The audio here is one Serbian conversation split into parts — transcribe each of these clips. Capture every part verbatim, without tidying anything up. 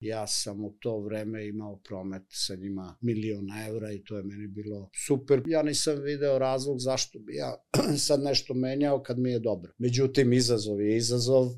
Ja sam u to vreme imao promet sa njima miliona evra i to je meni bilo super. Ja nisam video razlog zašto bi ja sad nešto menjao kad mi je dobro. Međutim, izazov je izazov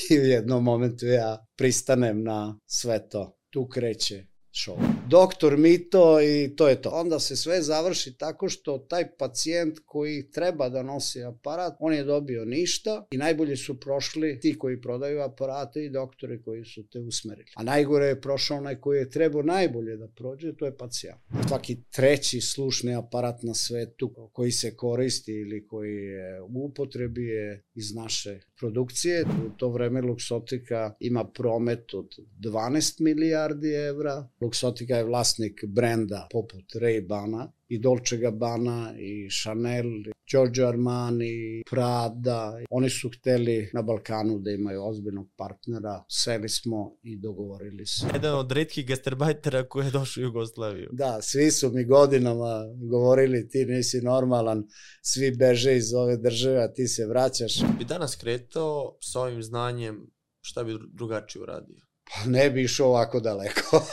i u jednom momentu ja pristanem na sve to. Tu kreće show. Doktor Mito i to je to. Onda se sve završi tako što taj pacijent koji treba da nosi aparat, on je dobio ništa i najbolje su prošli ti koji prodaju aparate i doktori koji su te usmerili. A najgore je prošao onaj koji je trebao najbolje da prođe, to je pacijent. Svaki treći slušni aparat na svetu koji se koristi ili koji je u upotrebi je iz naše produkcije. U to vreme Luxottica ima promet od dvanaest milijardi evra. Luxottica je vlasnik brenda poput Ray-Bana i Dolce Gabbana i Chanel, Giorgio Armani, Prada. Oni su hteli na Balkanu da imaju ozbiljnog partnera. Seli smo i dogovorili se. Jedan od retkih gastarbajtera koji je došao u Jugoslaviju. Da, svi su mi godinama govorili ti nisi normalan, svi beže iz ove države, a ti se vraćaš. Bi danas kretao s ovim znanjem, šta bi drugačije uradio? Pa ne bi išao ovako daleko.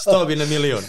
Stao bi na milion.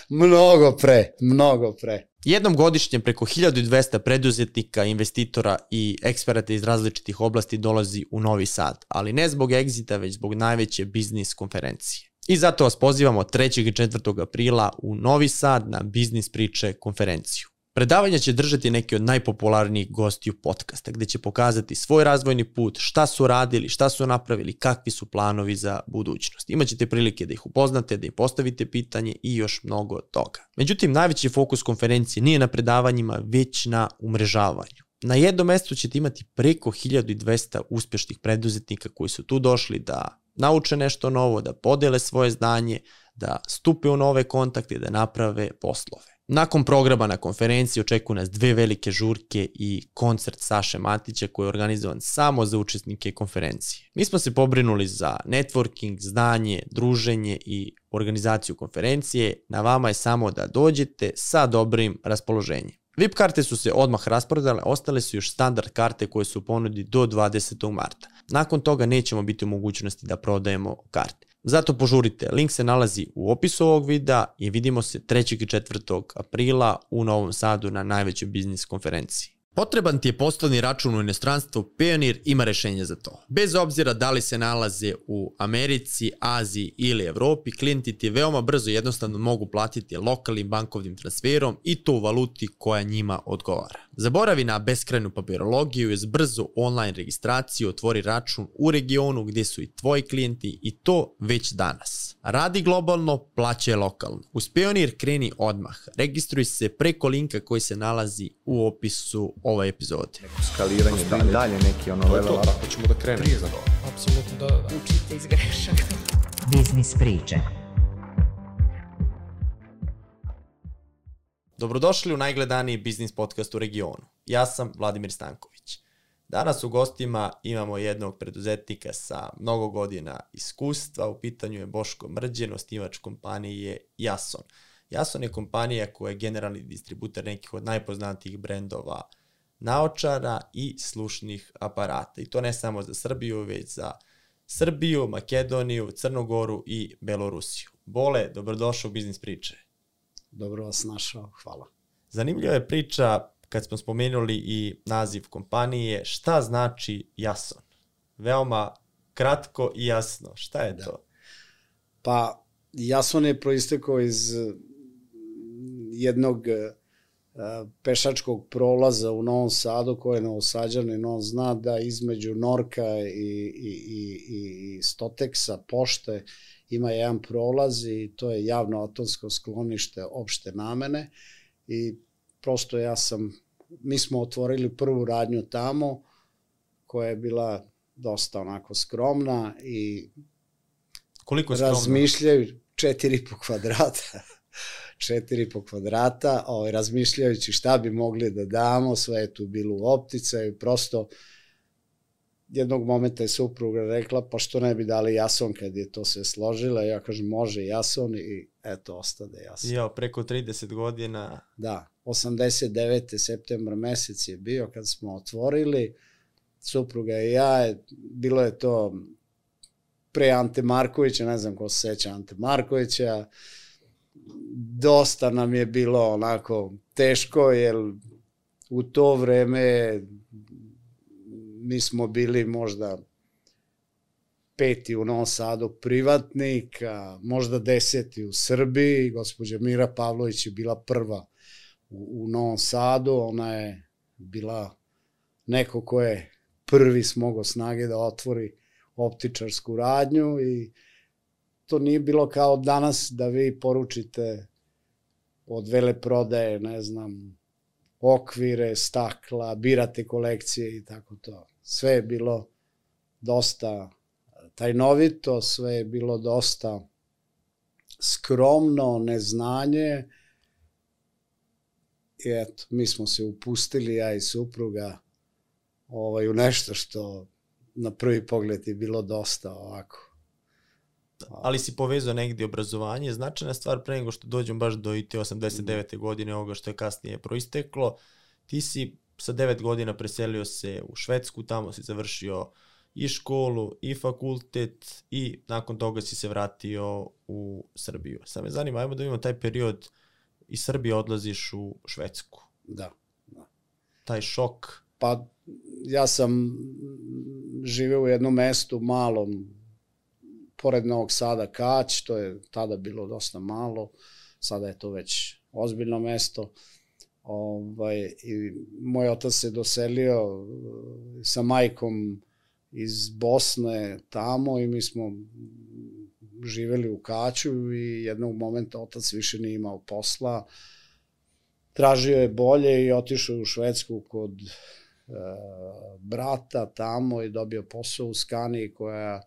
Mnogo pre, mnogo pre. Jednom godišnje preko hiljadu dvesta preduzetnika, investitora i eksperata iz različitih oblasti dolazi u Novi Sad, ali ne zbog egzita, već zbog najveće biznis konferencije. I zato vas pozivamo trećeg i četvrtog aprila u Novi Sad na Biznis priče konferenciju. Predavanja će držati neki od najpopularnijih gostiju podcasta, gde će pokazati svoj razvojni put, šta su radili, šta su napravili, kakvi su planovi za budućnost. Imaćete prilike da ih upoznate, da im postavite pitanje i još mnogo toga. Međutim, najveći fokus konferencije nije na predavanjima, već na umrežavanju. Na jednom mestu ćete imati preko hiljadu dvesta uspješnih preduzetnika koji su tu došli da nauče nešto novo, da podele svoje znanje, da stupe u nove kontakte i da naprave poslove. Nakon programa na konferenciji očekuju nas dve velike žurke i koncert Saše Matića koji je organizovan samo za učesnike konferencije. Mi smo se pobrinuli za networking, znanje, druženje i organizaciju konferencije. Na vama je samo da dođete sa dobrim raspoloženjem. V I P karte su se odmah rasprodale, ostale su još standard karte koje su u ponudi do dvadesetog marta. Nakon toga nećemo biti u mogućnosti da prodajemo karte. Zato požurite, link se nalazi u opisu ovog videa i vidimo se trećeg i četvrtog aprila u Novom Sadu na najvećoj biznis konferenciji. Potreban ti je poslovni račun u inostranstvu, Payoneer ima rešenje za to. Bez obzira da li se nalaze u Americi, Aziji ili Evropi, klijenti ti veoma brzo i jednostavno mogu platiti lokalnim bankovnim transferom i to u valuti koja njima odgovara. Zaboravi na beskrajnu papirologiju i uz brzu online registraciju otvori račun u regionu gdje su i tvoji klijenti i to već danas. Radi globalno, plaćaj lokalno. Uz Payoneer kreni odmah. Registruj se preko linka koji se nalazi u opisu ove epizode. Neko skaliranje, dalje, dalje neki ono level up. Hoćemo da krenemo. Apsolutno da, da. Učite iz grešaka. Biznis priče. Dobrodošli u najgledaniji biznis podcast u regionu. Ja sam Vladimir Stanković. Danas u gostima imamo jednog preduzetnika sa mnogo godina iskustva. U pitanju je Boško Mrđen, osnivač kompanije Jason. Jason je kompanija koja je generalni distributer nekih od najpoznatijih brendova naočara i slušnih aparata. I to ne samo za Srbiju, već za Srbiju, Makedoniju, Crnu Goru i Belorusiju. Bole, dobrodošao u Biznis priče. Dobro vas našao, hvala. Zanimljiva je priča kad smo spomenuli i naziv kompanije. Šta znači Jason? Veoma kratko i jasno. Šta je da. to? Pa, Jason je proistekao iz jednog pešačkog prolaza u Novom Sadu, koji je Novosađanin, on zna da između Norka i, i, i, i Stoteksa, pošte, ima jedan prolaz i to je javno atomsko sklonište opšte namene i prosto ja sam, mi smo otvorili prvu radnju tamo koja je bila dosta onako skromna i koliko skromno? Razmišljaju četiri po kvadrata. četiri po kvadrata, ovaj, razmišljajući šta bi mogli da damo, sve je tu bilo u optica i prosto jednog momenta je supruga rekla, pa što ne bi dali Jason kad je to sve složila, ja kažem može Jason i eto, ostade Jason. Jo, preko trideset godina. Da, osamdeset devete septembar mesec je bio kad smo otvorili, supruga i ja, bilo je to pre Ante Markovića, ne znam ko se seća Ante Markovića, dosta nam je bilo onako teško, jer u to vreme mi smo bili možda peti u Novom Sadu privatnik, a možda deseti u Srbiji. Gospođa Mira Pavlović je bila prva u, u Novom Sadu, ona je bila neko ko je prvi smogao snage da otvori optičarsku radnju i to nije bilo kao danas da vi poručite od veleprodaje, ne znam, okvire, stakla, birate kolekcije i tako to. Sve je bilo dosta tajnovito, sve je bilo dosta skromno, neznanje i eto, mi smo se upustili, ja i supruga, ovaj, u nešto što na prvi pogled je bilo dosta ovako. Ali si povezao negdje obrazovanje, značajna stvar pre nego što dođem baš do i te osamdeset devete godine, ovoga što je kasnije proisteklo. Ti si sa devet godina preselio se u Švedsku, tamo si završio i školu, i fakultet i nakon toga si se vratio u Srbiju. Sad me zanima, ajmo da vidimo taj period, iz Srbije odlaziš u Švedsku. Da, da. Taj šok. Pa ja sam živeo u jednom mestu malom, pored Novog Sada, Kać, to je tada bilo dosta malo, sada je to već ozbiljno mesto. Ovaj, i moj otac se doselio sa majkom iz Bosne tamo i mi smo živeli u Kaću i jednog momenta otac više nije imao posla. Tražio je bolje i otišao u Švedsku kod e, brata tamo i dobio posao u Scanii koja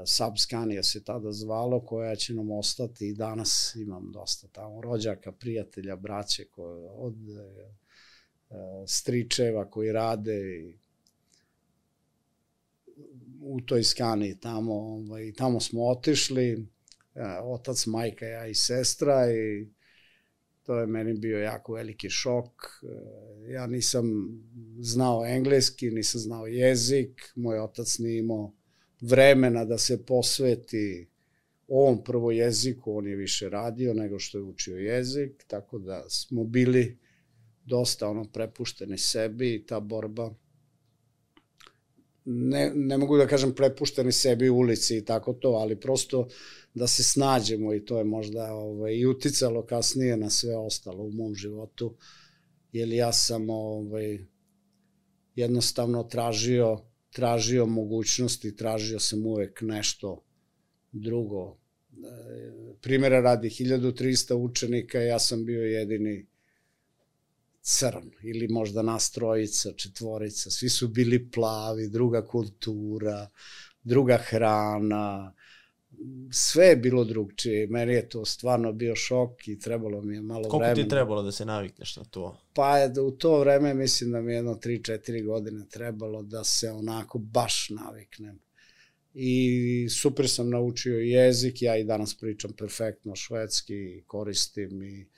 Sub Scania se tada zvalo, koja će nam ostati i danas imam dosta tamo rođaka, prijatelja, braće koje, od e, stričeva koji rade i u toj Scanii tamo, ovaj, tamo smo otišli, otac, majka, ja i sestra i to je meni bio jako veliki šok. Ja nisam znao engleski, nisam znao jezik, moj otac nije imao vremena da se posveti ovom prvo jeziku, on je više radio nego što je učio jezik, tako da smo bili dosta ono prepušteni sebi i ta borba, ne, ne mogu da kažem prepušteni sebi u ulici i tako to, ali prosto da se snađemo i to je možda ovaj, i uticalo kasnije na sve ostalo u mom životu, jer ja sam ovaj, jednostavno tražio tražio mogućnosti, tražio sam uvek nešto drugo. Primjera radi, hiljadu trista učenika, ja sam bio jedini crn, ili možda nas trojica, četvorica, svi su bili plavi, druga kultura, druga hrana, sve je bilo drugčije. Meni je to stvarno bio šok i trebalo mi je malo Koliko vremena. Koliko ti trebalo da se navikneš na to? Pa je, u to vreme mislim da mi jedno tri četiri godine trebalo da se onako baš naviknem. I super sam naučio jezik, ja i danas pričam perfektno švedski, koristim i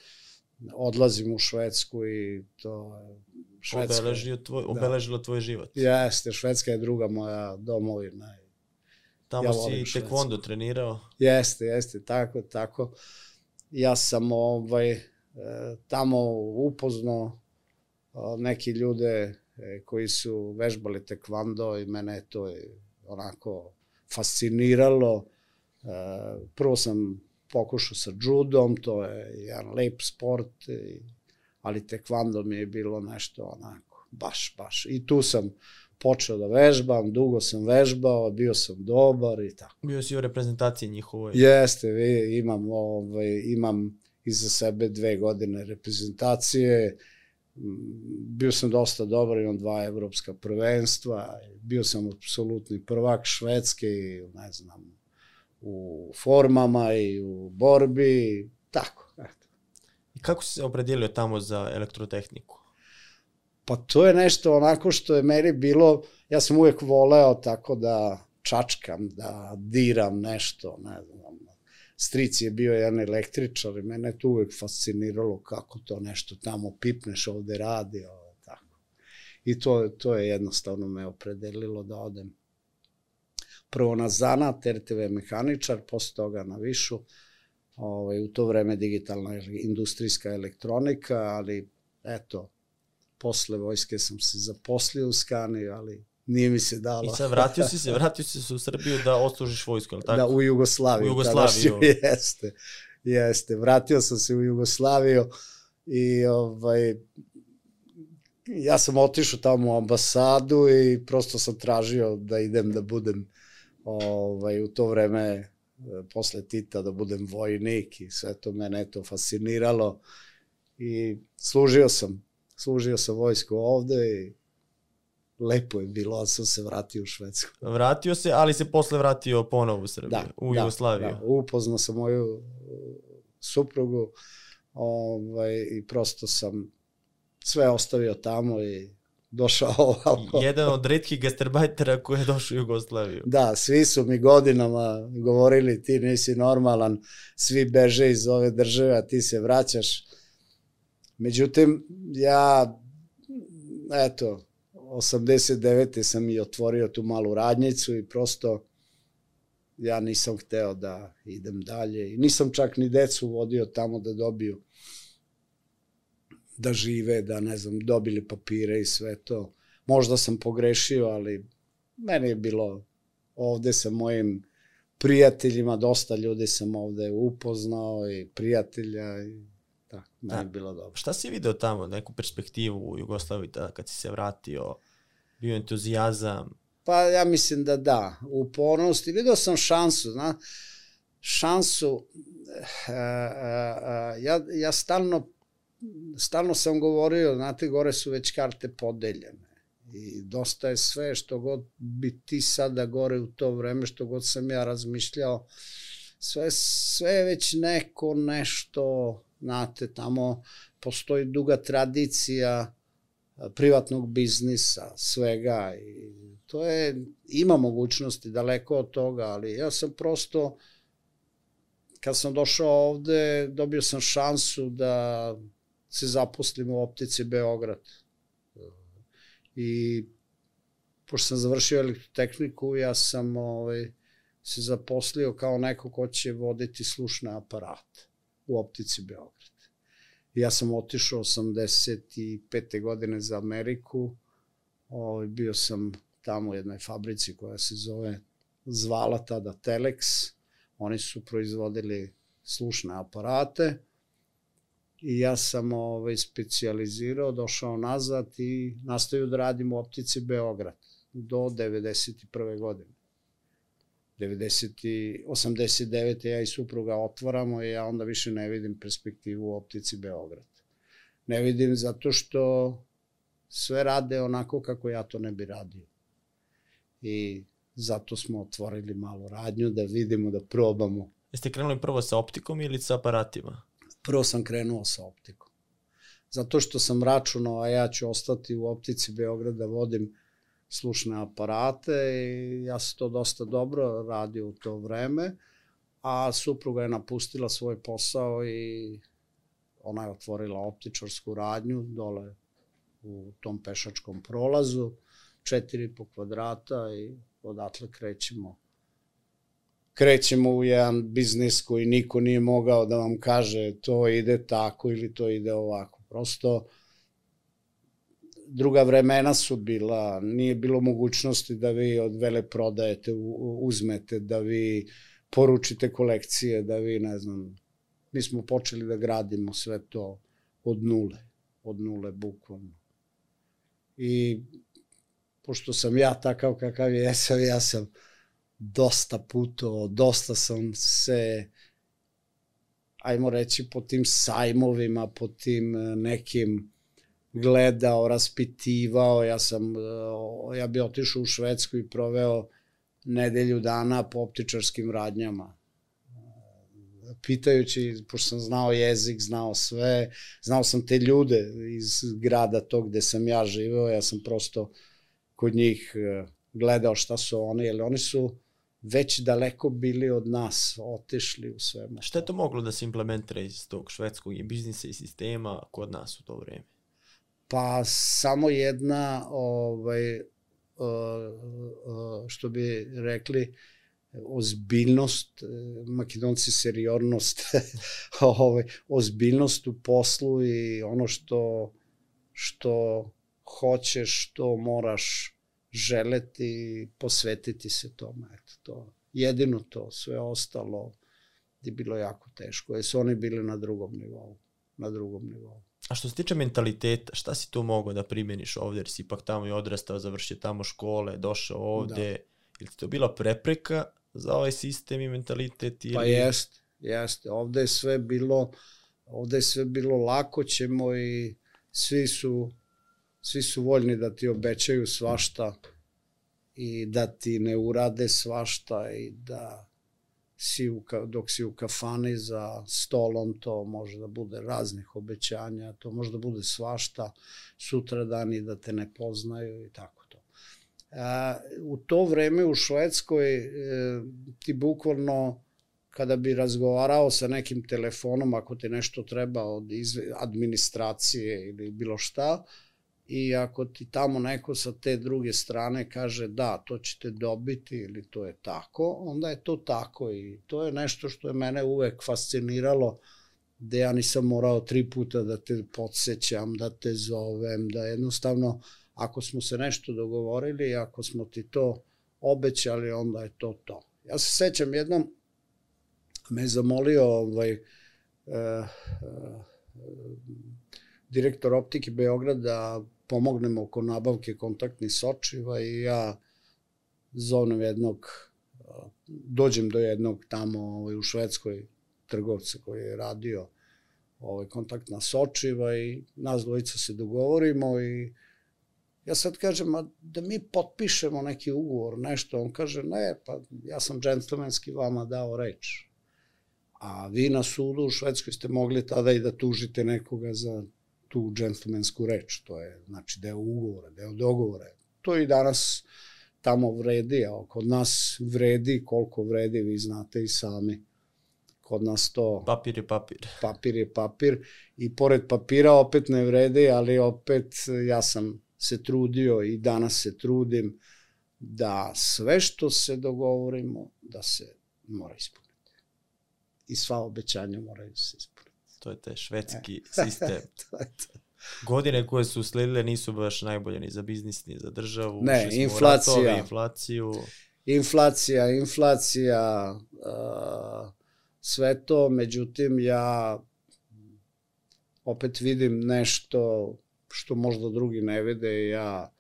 odlazim u Švedsku i to Švedska. Obeležilo tvoj, obeležilo tvoj život. Jeste, Švedska je druga moja domovina. Tamo ja si tekvondo trenirao? Jeste, jeste, tako, tako. Ja sam ovaj, tamo upoznao neki ljude koji su vežbali tekvando i mene je to onako fasciniralo. Prvo sam pokušao sa judom, to je jedan lep sport, ali tekvando mi je bilo nešto onako, baš, baš. I tu sam počeo da vežbam, dugo sam vežbao, bio sam dobar i tako. Bio si u reprezentaciji njihovoj. Jeste, vi, imam, ovaj, imam iza sebe dve godine reprezentacije, bio sam dosta dobar, imam dva evropska prvenstva, bio sam apsolutni prvak Švedske i ne znam, u formama i u borbi, tako. Eto. I kako si se opredijelio tamo za elektrotehniku? Pa to je nešto onako što je meni bilo, ja sam uvijek voleo tako da čačkam, da diram nešto, ne znam. Stric je bio jedan električar i mene je to uvijek fasciniralo kako to nešto tamo pipneš, ovde radi, ovo, tako. I to, to je jednostavno me opredelilo da odem prvo na zanat, R T V mehaničar, posle toga na višu, ovaj, u to vreme digitalna industrijska elektronika, ali eto, posle vojske sam se zaposlio u Scania, ali nije mi se dalo. I sad vratio si se, vratio si se u Srbiju da odslužiš vojsku, ali tako? Da, u Jugoslaviju. U Jugoslaviju. Jeste, jeste. Vratio sam se u Jugoslaviju i ovaj, ja sam otišao tamo u ambasadu i prosto sam tražio da idem da budem ovaj, u to vreme posle Tita da budem vojnik i sve to mene to fasciniralo i služio sam, služio sam vojsku ovde i lepo je bilo, sam se vratio u Švedsku. Vratio se, ali se posle vratio ponovo u Srbiju, da, u da, Jugoslaviju. Da, upoznao sam moju suprugu ovaj, i prosto sam sve ostavio tamo i došao ovako. Jedan od retkih gastarbajtera koji je došao u Jugoslaviju. Da, svi su mi godinama govorili ti nisi normalan, svi beže iz ove države, a ti se vraćaš. Međutim, ja, eto, osamdeset devete sam i otvorio tu malu radnjicu i prosto ja nisam hteo da idem dalje i nisam čak ni decu vodio tamo da dobiju da žive, da ne znam, dobili papire i sve to. Možda sam pogrešio, ali meni je bilo ovde sa mojim prijateljima, dosta ljudi sam ovde upoznao i prijatelja i da, meni je bilo dobro. Šta si video tamo, neku perspektivu u Jugoslaviji tada kad si se vratio, bio entuzijazam? Pa ja mislim da da, upornost i video sam šansu, zna, šansu, a, a, a, ja, ja stalno stalno sam govorio, znate, gore su već karte podeljene i dosta je sve što god bi ti sada gore u to vreme, što god sam ja razmišljao, sve, sve je već neko nešto, znate, tamo postoji duga tradicija privatnog biznisa, svega i to je, ima mogućnosti daleko od toga, ali ja sam prosto, kad sam došao ovde, dobio sam šansu da se zaposlim u Optici Beograd. I pošto sam završio elektrotehniku, ja sam ovaj, se zaposlio kao neko ko će voditi slušne aparate u Optici Beograd. I ja sam otišao osamdeset pete godine za Ameriku, ovaj, bio sam tamo u jednoj fabrici koja se zove, zvala tada Telex, oni su proizvodili slušne aparate, i ja sam ovaj, specijalizirao, došao nazad i nastavio da radim u Optici Beograd do devedeset prve godine. osamdeset devete ja i supruga otvaramo i ja onda više ne vidim perspektivu u Optici Beograd. Ne vidim zato što sve rade onako kako ja to ne bi radio. I zato smo otvorili malu radnju da vidimo, da probamo. Jeste krenuli prvo sa optikom ili sa aparatima? Prvo sam krenuo sa optikom. Zato što sam računao, a ja ću ostati u Optici Beograd da vodim slušne aparate i ja sam to dosta dobro radio u to vreme, a supruga je napustila svoj posao i ona je otvorila optičarsku radnju dole u tom pešačkom prolazu, četiri po kvadrata i odatle krećemo. Krećemo u jedan biznis koji niko nije mogao da vam kaže to ide tako ili to ide ovako. Prosto druga vremena su bila, nije bilo mogućnosti da vi od veleprodajete uzmete, da vi poručite kolekcije, da vi, ne znam, mi smo počeli da gradimo sve to od nule, od nule bukvalno. I pošto sam ja takav kakav jesam, ja sam dosta putovao, dosta sam se, ajmo reći, po tim sajmovima, po tim nekim gledao, raspitivao, ja sam, ja bi otišao u Švedsku i proveo nedelju dana po optičarskim radnjama. Pitajući, pošto sam znao jezik, znao sve, znao sam te ljude iz grada tog gde sam ja živeo, ja sam prosto kod njih gledao šta su oni, jer oni su već daleko bili od nas, otišli u svemu. Šta je to moglo da se implementira iz tog švedskog i biznisa i sistema kod nas u to vreme? Pa samo jedna ovaj, što bi rekli, ozbiljnost, Makedonci seriornost, ovaj, ozbiljnost u poslu i ono što, što hoćeš, što moraš želeti i posvetiti se tome. Eto, to. Jedino to, sve ostalo je bilo jako teško, jer su oni bili na drugom nivou. Na drugom nivou. A što se tiče mentaliteta, šta si tu mogao da primjeniš ovde, jer si ipak tamo i odrastao, završio tamo škole, došao ovde, da. Ili ti to bila prepreka za ovaj sistem i mentalitet? Ili... Pa jest, jeste. Ovde je sve bilo, ovde je sve bilo lako ćemo i svi su, svi su voljni da ti obećaju svašta i da ti ne urade svašta i da si u, dok si u kafani za stolom, to može da bude raznih obećanja, to može da bude svašta, sutra dani da te ne poznaju i tako to. A, u to vreme u Švedskoj e, ti bukvalno kada bi razgovarao sa nekim telefonom, ako ti nešto treba od administracije ili bilo šta, i ako ti tamo neko sa te druge strane kaže da, to ćete dobiti ili to je tako, onda je to tako i to je nešto što je mene uvek fasciniralo, gde ja nisam morao tri puta da te podsjećam, da te zovem, da jednostavno ako smo se nešto dogovorili, ako smo ti to obećali, onda je to to. Ja se sećam jednom, me je zamolio ovaj, eh, eh, direktor Optike Beograd da pomognemo oko nabavke kontaktnih sočiva i ja zovnem jednog, dođem do jednog tamo ovaj, u Švedskoj trgovca koji je radio ovaj, kontaktna sočiva i nas dvojica se dogovorimo i ja sad kažem, a da mi potpišemo neki ugovor, nešto, on kaže, ne, pa ja sam džentlmenski vama dao reč. A vi na sudu u Švedskoj ste mogli tada i da tužite nekoga za tu džentlmensku reč, to je znači deo ugovora, deo dogovora. To i danas tamo vredi, a kod nas vredi koliko vredi, vi znate i sami. Kod nas to... Papir je papir. Papir je papir i pored papira opet ne vredi, ali opet ja sam se trudio i danas se trudim da sve što se dogovorimo, da se mora ispuniti. I sva obećanja moraju se ispuniti. To je taj švedski e. sistem. to je to. Godine koje su usledile nisu baš najbolje ni za biznis, ni za državu. Ne, inflacija. Ratove, inflaciju. Inflacija, inflacija, uh, sve to, međutim ja opet vidim nešto što možda drugi ne vide i ja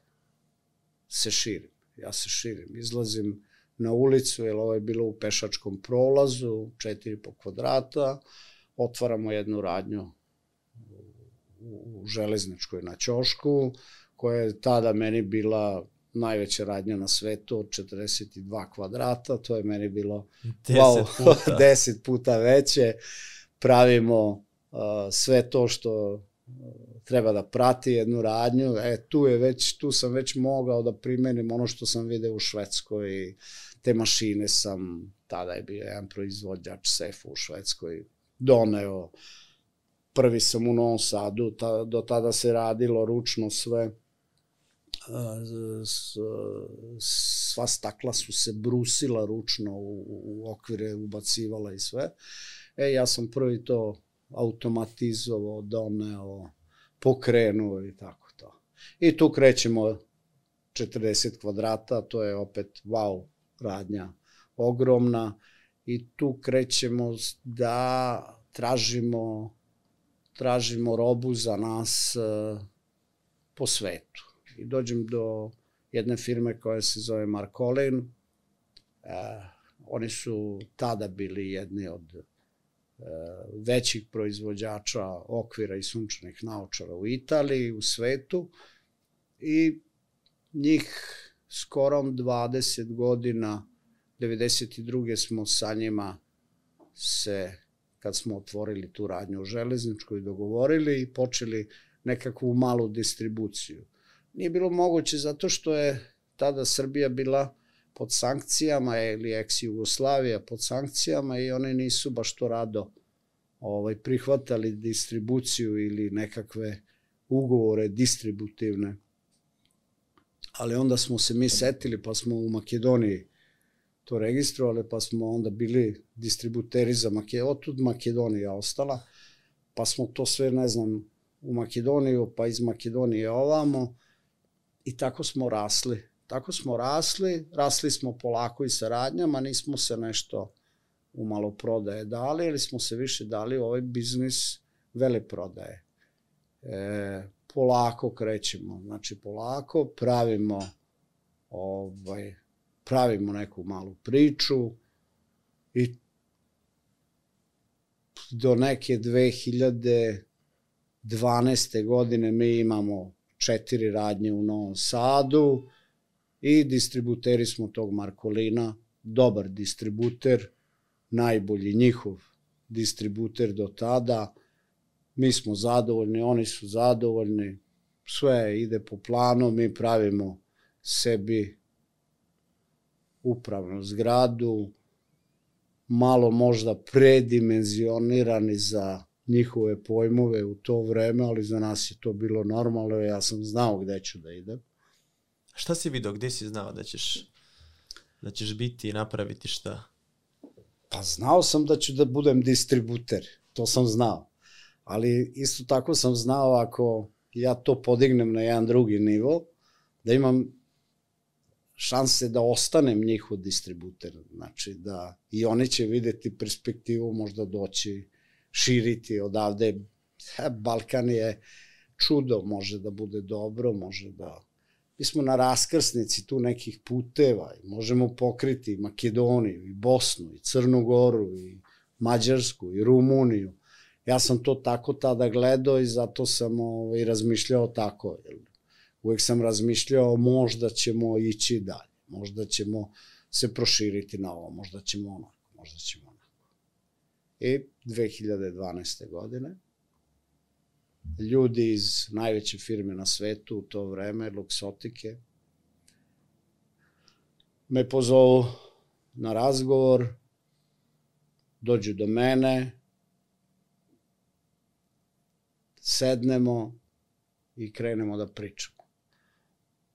se širim. Ja se širim, izlazim na ulicu, jer ovo je bilo u pešačkom prolazu, četiri po kvadrata, otvaramo jednu radnju u Železničkoj na Ćošku, koja je tada meni bila najveća radnja na svetu od četrdeset dva kvadrata, to je meni bilo wow, puta. deset puta veće. Pravimo uh, sve to što uh, treba da prati jednu radnju. E, tu, je već, tu sam već mogao da primenim ono što sam video u Švedskoj. Te mašine sam, tada je bio jedan proizvođač sefa u Švedskoj, doneo. Prvi sam u Novom Sadu, ta, do tada se radilo ručno sve. S, sva stakla su se brusila ručno, u, u okvire ubacivala i sve. E, ja sam prvi to automatizovao, doneo, pokrenuo i tako to. I tu krećemo četrdeset kvadrata, to je opet wow radnja, ogromna. I tu krećemo da tražimo, tražimo robu za nas uh, po svetu. I dođem do jedne firme koja se zove Markolin. Uh, oni su tada bili jedni od uh, većih proizvođača okvira i sunčanih naočara u Italiji, u svetu. I njih skoro dvadeset godina, devedeset druge smo sa njima se, kad smo otvorili tu radnju u Železničkoj, dogovorili i počeli nekakvu malu distribuciju. Nije bilo moguće zato što je tada Srbija bila pod sankcijama ili ex-Jugoslavija pod sankcijama i oni nisu baš to rado ovaj, prihvatali distribuciju ili nekakve ugovore distributivne. ali onda smo se mi setili, pa smo u Makedoniji to registrovali, pa smo onda bili distributeri za Makedoniju, otud Makedonija ostala, pa smo to sve, ne znam, u Makedoniju, pa iz Makedonije ovamo i tako smo rasli. Tako smo rasli, rasli smo polako i saradnjama, nismo se nešto u maloprodaje dali, ili smo se više dali u ovaj biznis veleprodaje. E, polako krećemo, znači polako pravimo ovaj, pravimo neku malu priču i do neke dve hiljade dvanaeste. godine mi imamo četiri radnje u Novom Sadu i distributeri smo tog Markolina, dobar distributer, najbolji njihov distributer do tada, mi smo zadovoljni, oni su zadovoljni, sve ide po planu, mi pravimo sebi upravnu zgradu, malo možda predimenzionirani za njihove pojmove u to vreme, ali za nas je to bilo normalno, ja sam znao gde ću da idem. Šta si vidio, gde si znao da ćeš, da ćeš biti i napraviti šta? Pa znao sam da ću da budem distributer, to sam znao, ali isto tako sam znao ako ja to podignem na jedan drugi nivo, da imam šanse da ostanem njihov distributer, znači da i oni će videti perspektivu, možda doći, širiti odavde. Balkan je čudo, može da bude dobro, može da... Mi smo na raskrsnici tu nekih puteva i možemo pokriti Makedoniju i Bosnu i Crnu Goru i Mađarsku i Rumuniju. Ja sam to tako tada gledao i zato sam ovaj, razmišljao tako. Uvijek sam razmišljao možda ćemo ići dalje, možda ćemo se proširiti na ovo, možda ćemo onako, možda ćemo onako. I dve hiljade dvanaeste. godine ljudi iz najveće firme na svetu u to vreme, Luxotike, me pozovu na razgovor, dođu do mene, sednemo i krenemo da pričamo.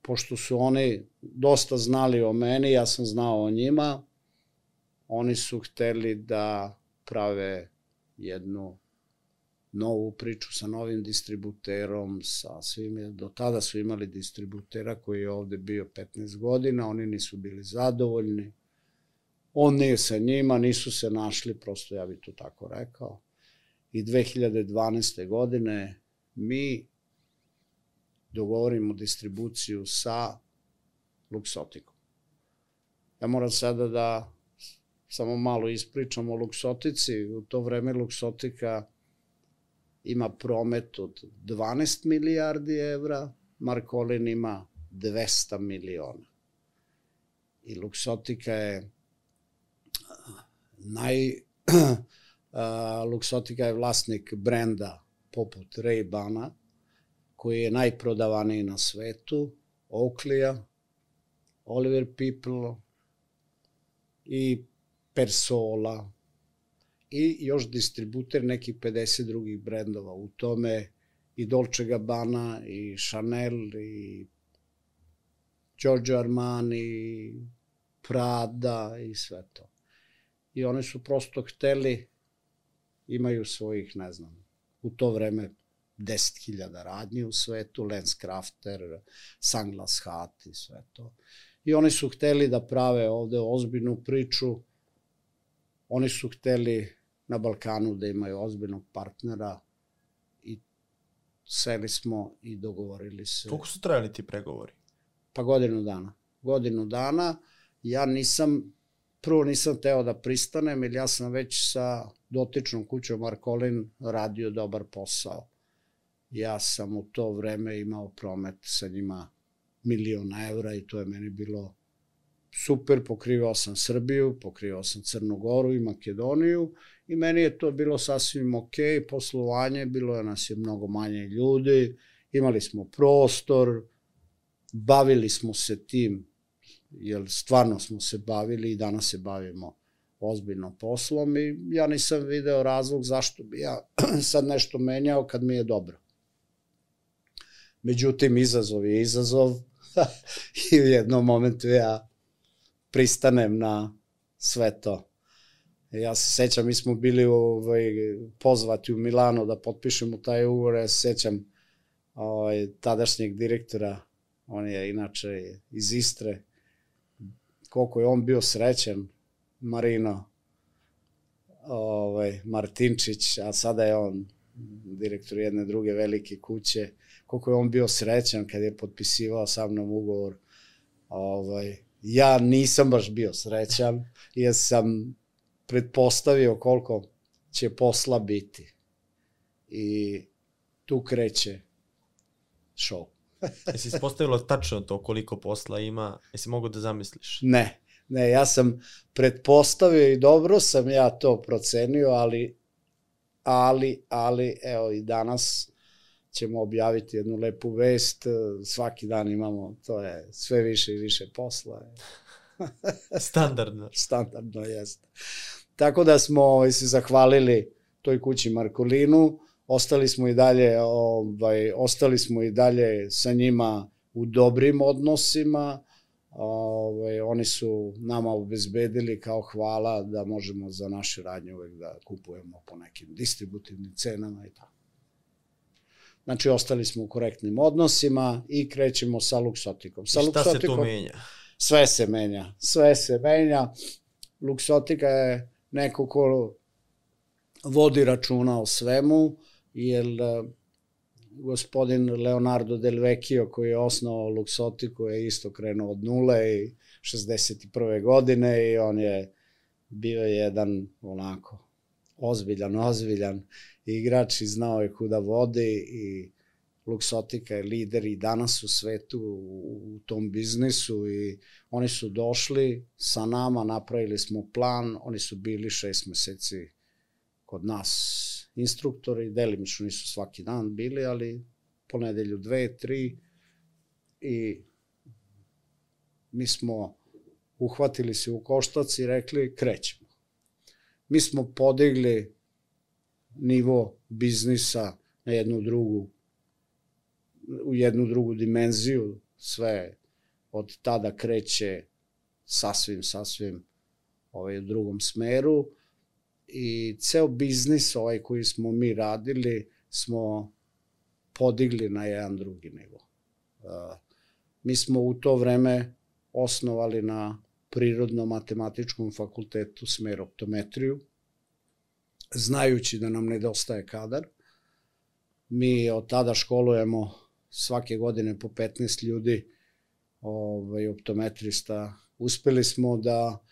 Pošto su oni dosta znali o meni, ja sam znao o njima, oni su hteli da prave jednu novu priču sa novim distributerom, sa svim, do tada su imali distributera koji je ovde bio petnaest godina, oni nisu bili zadovoljni, on nije sa njima, nisu se našli, prosto ja bih to tako rekao. I dve hiljade dvanaeste. godine mi dogovorimo distribuciju sa Luxotikom. Ja moram sada da samo malo ispričam o Luxotici. U to vreme Luxotika ima promet od dvanaest milijardi evra, Markolin ima dvesta miliona. I Luxotika je naj... Luxotika je vlasnik brenda poput Ray-Bana, koji je najprodavaniji na svetu, Oakley-a, Oliver People i Persola i još distributer nekih pedeset drugih brendova. U tome i Dolce Gabbana, i Chanel, i Giorgio Armani, i Prada i sve to. I oni su prosto hteli, imaju svojih, ne znam, u to vreme deset hiljada radnji u svetu, LensCrafter, Sunglass Hut i sve to. I oni su hteli da prave ovde ozbiljnu priču, oni su hteli na Balkanu da imaju ozbiljnog partnera i seli smo i dogovorili se. Koliko su trajali ti pregovori? Pa godinu dana. Godinu dana. Ja nisam, prvo nisam teo da pristanem, jer ja sam već sa dotičnom kućom Markolin radio dobar posao. Ja sam u to vreme imao promet sa njima milion evra i to je meni bilo super, pokrivao sam Srbiju, pokrivao sam Crnu Goru i Makedoniju i meni je to bilo sasvim ok, poslovanje, bilo je nas je mnogo manje ljudi, imali smo prostor, bavili smo se tim, jer stvarno smo se bavili i danas se bavimo ozbiljno poslom i ja nisam video razlog zašto bi ja sad nešto menjao kad mi je dobro. Međutim, izazov je izazov i u jednom momentu ja pristanem na sve to. Ja se sećam, mi smo bili ovaj, pozvati u Milano da potpišemo taj ugovor, ja se sećam ovaj, tadašnjeg direktora, on je inače iz Istre, koliko je on bio srećan, Marino ovaj, Martinčić, a sada je on direktor jedne druge velike kuće, koliko je on bio srećan kad je potpisivao sa mnom ugovor. Ovaj, ja nisam baš bio srećan, jer sam pretpostavio koliko će posla biti. I tu kreće show. Jesi ispostavilo tačno to koliko posla ima? Jesi mogu da zamisliš? Ne, ne, ja sam pretpostavio i dobro sam ja to procenio, ali, ali, ali, evo i danas ćemo objaviti jednu lepu vest, svaki dan imamo, to je sve više i više posla. Standardno. Standardno, jeste. Tako da smo se zahvalili toj kući Markolinu, ostali smo i dalje, ovaj, ostali smo i dalje sa njima u dobrim odnosima, ovaj, oni su nama obezbedili kao hvala da možemo za naše radnje uvek da kupujemo po nekim distributivnim cenama i tako. Znači, ostali smo u korektnim odnosima i krećemo sa Luxotikom. Sa I šta Luxotikom, se tu menja? Sve se menja, sve se menja. Luxotika je neko ko vodi računa o svemu, jer gospodin Leonardo Del Vecchio koji je osnovao Luxotiku je isto krenuo od nule i šezdeset prve godine i on je bio jedan onako ozbiljan, ozbiljan igrač i znao je kuda vodi i Luxotika je lider i danas u svetu u tom biznisu i oni su došli sa nama, napravili smo plan, oni su bili šest meseci kod nas instruktori, delimično nisu svaki dan bili, ali po nedelju dve, tri i mi smo uhvatili se u koštac i rekli krećemo. Mi smo podigli nivo biznisa na jednu drugu, u jednu drugu dimenziju, sve od tada kreće sasvim, sasvim ovaj, u drugom smeru i ceo biznis ovaj koji smo mi radili smo podigli na jedan drugi nivo. Uh, mi smo u to vreme osnovali na Prirodno-matematičkom fakultetu smer optometriju, znajući da nam nedostaje kadar. Mi od tada školujemo svake godine po petnaest ljudi, ovaj, optometrista. Uspeli smo da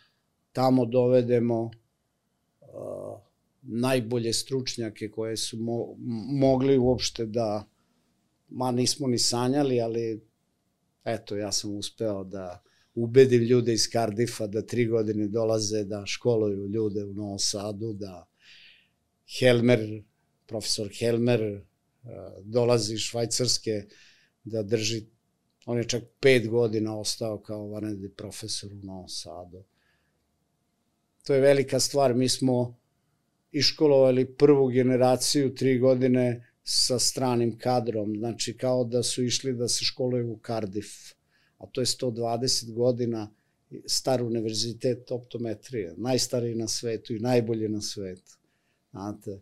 tamo dovedemo uh, najbolje stručnjake koje su mo mogli uopšte da, ma nismo ni sanjali, ali eto, ja sam uspeo da ubedim ljude iz Cardiffa da tri godine dolaze da školuju ljude u Novom Sadu, da Helmer, profesor Helmer dolazi iz Švajcarske da drži, on je čak pet godina ostao kao vanredni profesor u Novom Sadu. To je velika stvar, mi smo iškolovali prvu generaciju tri godine sa stranim kadrom, znači kao da su išli da se školuju u Cardiff, a to je sto dvadeset godina star univerzitet optometrije, najstariji na svetu i najbolji na svetu. Znate,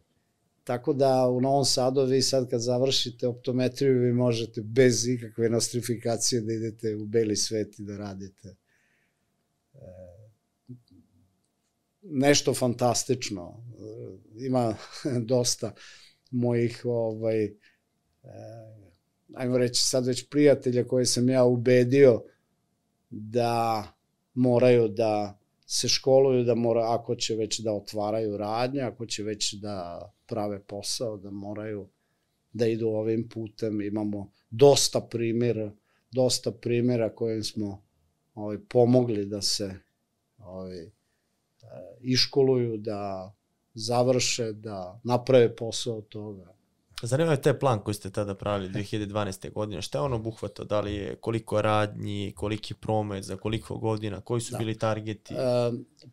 tako da u Novom Sadu vi sad kad završite optometriju vi možete bez ikakve nostrifikacije da idete u beli svet i da radite. E, nešto fantastično. E, ima dosta mojih ovaj, e, ajmo reći sad već prijatelja koje sam ja ubedio da moraju da se školuju, da mora, ako će već da otvaraju radnje, ako će već da prave posao, da moraju da idu ovim putem. Imamo dosta primjera, dosta primjera kojim smo ovaj, pomogli da se ovaj, iškoluju, da završe, da naprave posao od toga. Zanima je taj plan koji ste tada pravili dve hiljade dvanaeste. godine. Šta je on obuhvatao? Da li je koliko radnji, koliki promet, za koliko godina, koji su da. bili targeti? E,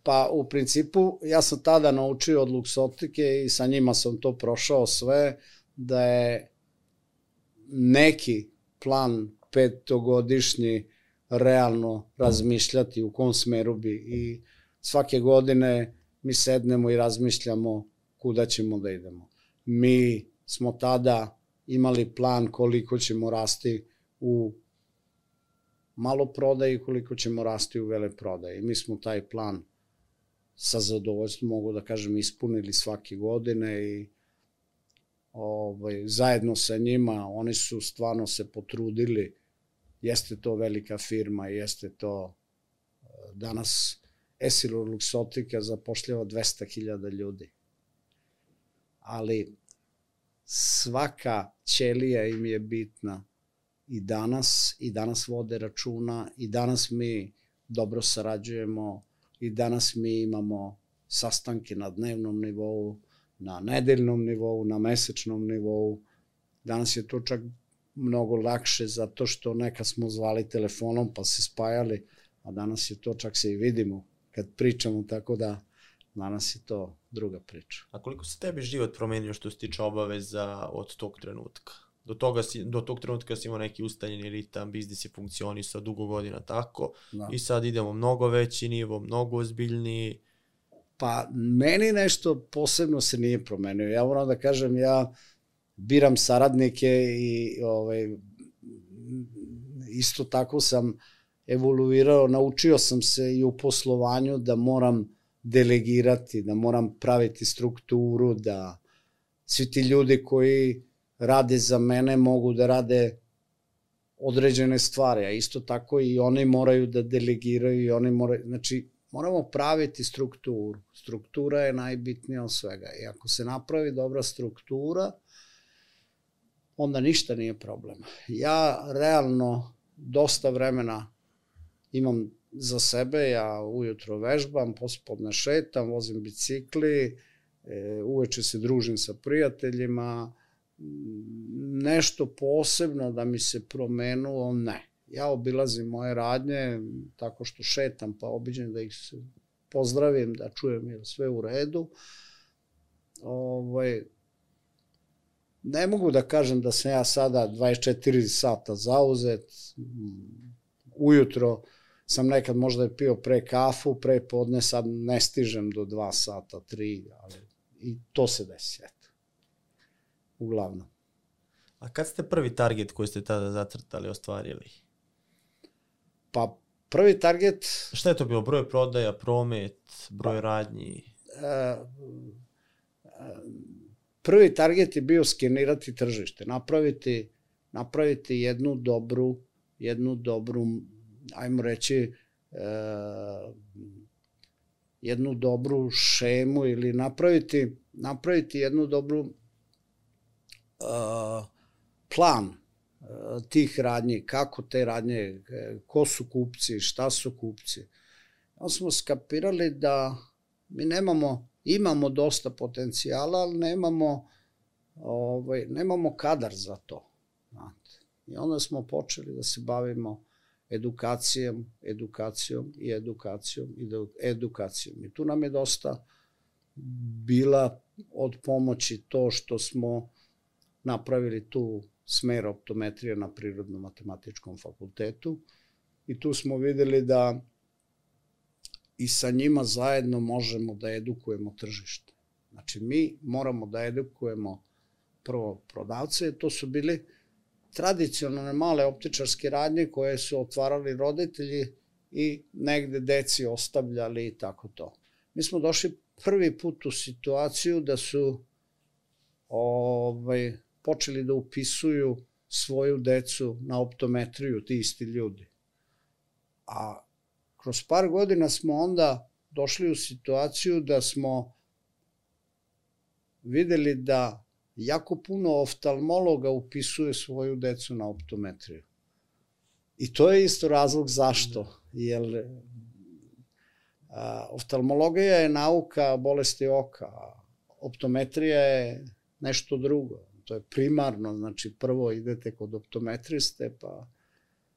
pa u principu ja sam tada naučio od Luxotike i sa njima sam to prošao sve, da je neki plan petogodišnji realno razmišljati u kom smeru bi i svake godine mi sednemo i razmišljamo kuda ćemo da idemo. Mi smo tada imali plan koliko ćemo rasti u maloprodaji, koliko ćemo rasti u veleprodaji. Mi smo taj plan sa zadovoljstvom, mogu da kažem, ispunili svake godine i ovaj, zajedno sa njima, oni su stvarno se potrudili. Jeste to velika firma, jeste to danas Essilor Luxottica zapošljava dvesta hiljada ljudi. Ali svaka ćelija im je bitna i danas, i danas vode računa, i danas mi dobro sarađujemo, i danas mi imamo sastanke na dnevnom nivou, na nedeljnom nivou, na mesečnom nivou. Danas je to čak mnogo lakše zato što nekad smo zvali telefonom pa se spajali, a danas je to čak se i vidimo kad pričamo, tako da danas je to druga priča. A koliko se tebi život promenio što se tiče obaveza od tog trenutka? Do, toga si, do tog trenutka si imao neki ustaljeni ritam, biznis je funkcionisao dugo godina tako, da. I sad idemo mnogo veći nivo, mnogo ozbiljniji. Pa meni nešto posebno se nije promenio. Ja moram da kažem, ja biram saradnike i ovaj, isto tako sam evoluirao, naučio sam se i u poslovanju da moram delegirati, da moram praviti strukturu, da svi ti ljudi koji rade za mene mogu da rade određene stvari, a isto tako i oni moraju da delegiraju i oni moraju, znači moramo praviti strukturu. Struktura je najbitnija od svega i ako se napravi dobra struktura, onda ništa nije problem. Ja realno dosta vremena imam za sebe, ja ujutro vežbam, pospodne šetam, vozim bicikli, uveče se družim sa prijateljima, nešto posebno da mi se promenulo, ne. Ja obilazim moje radnje tako što šetam, pa obiđem da ih pozdravim, da čujem je sve u redu. Ovaj, ne mogu da kažem da sam ja sada dvadeset četiri sata zauzet, ujutro sam nekad možda pio pre kafu, pre podne, sad ne stižem do dva sata, tri, ali i to se desi, eto. Uglavnom. A kad ste prvi target koji ste tada zacrtali ostvarili? Pa prvi target... Šta je to bilo? Broj prodaja, promet, broj radnji? Prvi target je bio skenirati tržište, napraviti, napraviti jednu dobru, jednu dobru, ajmo reći, jednu dobru šemu ili napraviti, napraviti jednu dobru plan tih radnji, kako te radnje, ko su kupci, šta su kupci. Onda smo skapirali da mi nemamo, imamo dosta potencijala, ali nemamo, ovaj, nemamo kadar za to. Znate. I onda smo počeli da se bavimo edukacijom, edukacijom i edukacijom i edukacijom. I tu nam je dosta bila od pomoći to što smo napravili tu smer optometrije na Prirodno-matematičkom fakultetu i tu smo videli da i sa njima zajedno možemo da edukujemo tržište. Znači, mi moramo da edukujemo prvo prodavce, to su bili tradicionalne male optičarske radnje koje su otvarali roditelji i negde deci ostavljali i tako to. Mi smo došli prvi put u situaciju da su ovaj, počeli da upisuju svoju decu na optometriju, ti isti ljudi. A kroz par godina smo onda došli u situaciju da smo videli da jako puno oftalmologa upisuje svoju decu na optometriju. I to je isto razlog zašto. Jer a, oftalmologija je nauka bolesti oka, a optometrija je nešto drugo. To je primarno, znači prvo idete kod optometriste, pa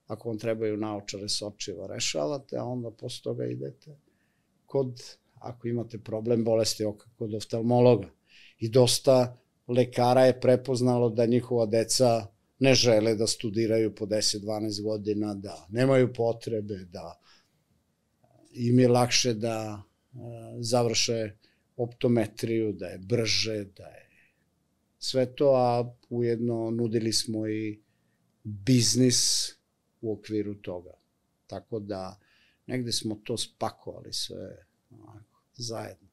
ako vam trebaju naočare s očiva rešavate, a onda posle toga idete kod, ako imate problem bolesti oka, kod oftalmologa. I dosta lekara je prepoznalo da njihova deca ne žele da studiraju po deset dvanaest godina, da nemaju potrebe, da im je lakše da završe optometriju, da je brže, da je sve to, a ujedno nudili smo i biznis u okviru toga. Tako da negde smo to spakovali sve onako, zajedno.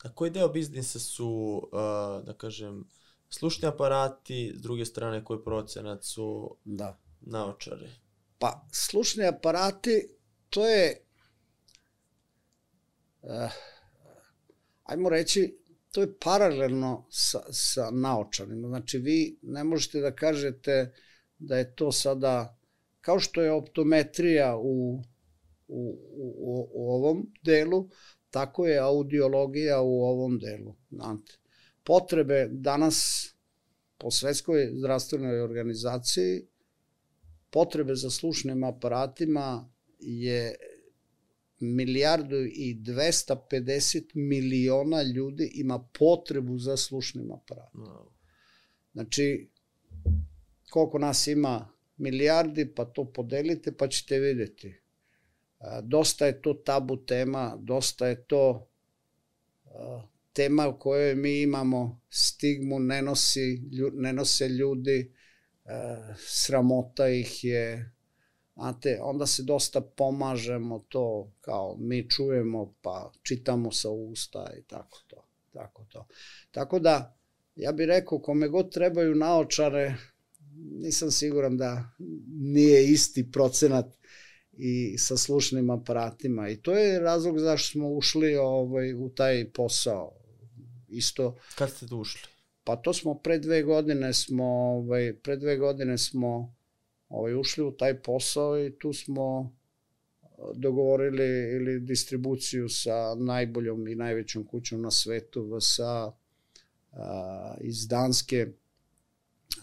A koji deo biznisa su, da kažem, slušni aparati, s druge strane koji procenat su da. naočare? Pa, slušni aparati, to je, uh, ajmo reći, to je paralelno sa, sa naočarima. Znači, vi ne možete da kažete da je to sada, kao što je optometrija u, u, u, u ovom delu, tako je audiologija u ovom delu. Znate, potrebe danas po Svetskoj zdravstvenoj organizaciji, potrebe za slušnim aparatima je milijardu i dvesta pedeset miliona ljudi ima potrebu za slušnim aparatima. Znači, koliko nas ima milijardi, pa to podelite, pa ćete vidjeti. Dosta je to tabu tema, dosta je to tema u kojoj mi imamo stigmu, ne, nosi, ne nose ljudi, sramota ih je, znate, onda se dosta pomažemo to, kao mi čujemo pa čitamo sa usta i tako to. Tako, to. Tako da, ja bih rekao, kome god trebaju naočare, nisam siguran da nije isti procenat i sa slušnim aparatima. I to je razlog zašto smo ušli ovaj, u taj posao. Isto. Kad ste tu ušli? Pa to smo pre dve godine smo, ovaj, pre dve godine smo ovaj, ušli u taj posao i tu smo dogovorili ili distribuciju sa najboljom i najvećom kućom na svetu, V S A, a, iz Danske.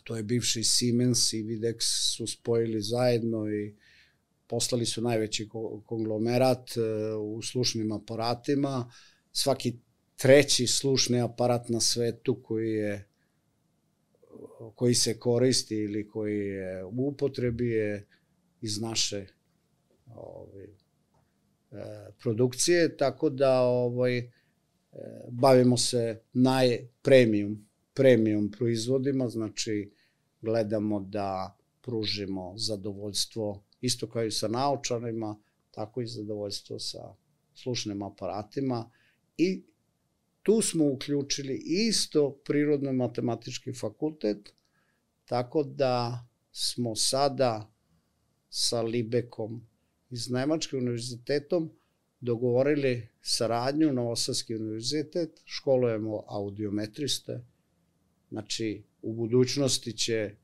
To je bivši Siemens i Videx su spojili zajedno i poslali su najveći konglomerat u slušnim aparatima. Svaki treći slušni aparat na svetu koji je koji se koristi ili koji je u upotrebi je iz naše ovaj, produkcije, tako da ovaj, bavimo se najpremium premium proizvodima, znači gledamo da pružimo zadovoljstvo isto kao i sa naočarima, tako i zadovoljstvo sa slušnim aparatima i tu smo uključili isto prirodno-matematički fakultet, tako da smo sada sa Libekom iz Nemačkim univerzitetom dogovorili saradnju, Novosadski univerzitet, školujemo audiometriste, znači u budućnosti će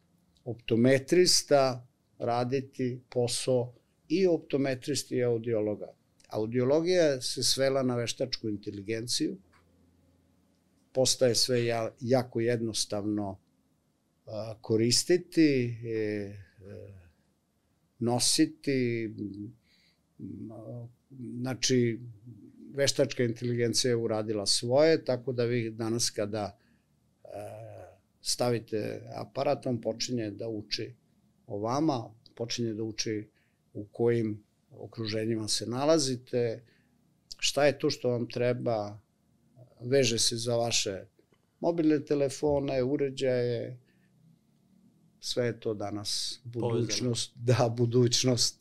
optometrista raditi posao i optometristi i audiologa. Audiologija se svela na veštačku inteligenciju, postaje sve jako jednostavno koristiti, nositi, znači veštačka inteligencija je uradila svoje, tako da vi danas kada stavite aparat, on počinje da uči o vama, počinje da uči u kojim okruženjima se nalazite, šta je to što vam treba, veže se za vaše mobilne telefone, uređaje, sve je to danas budućnost, da, budućnost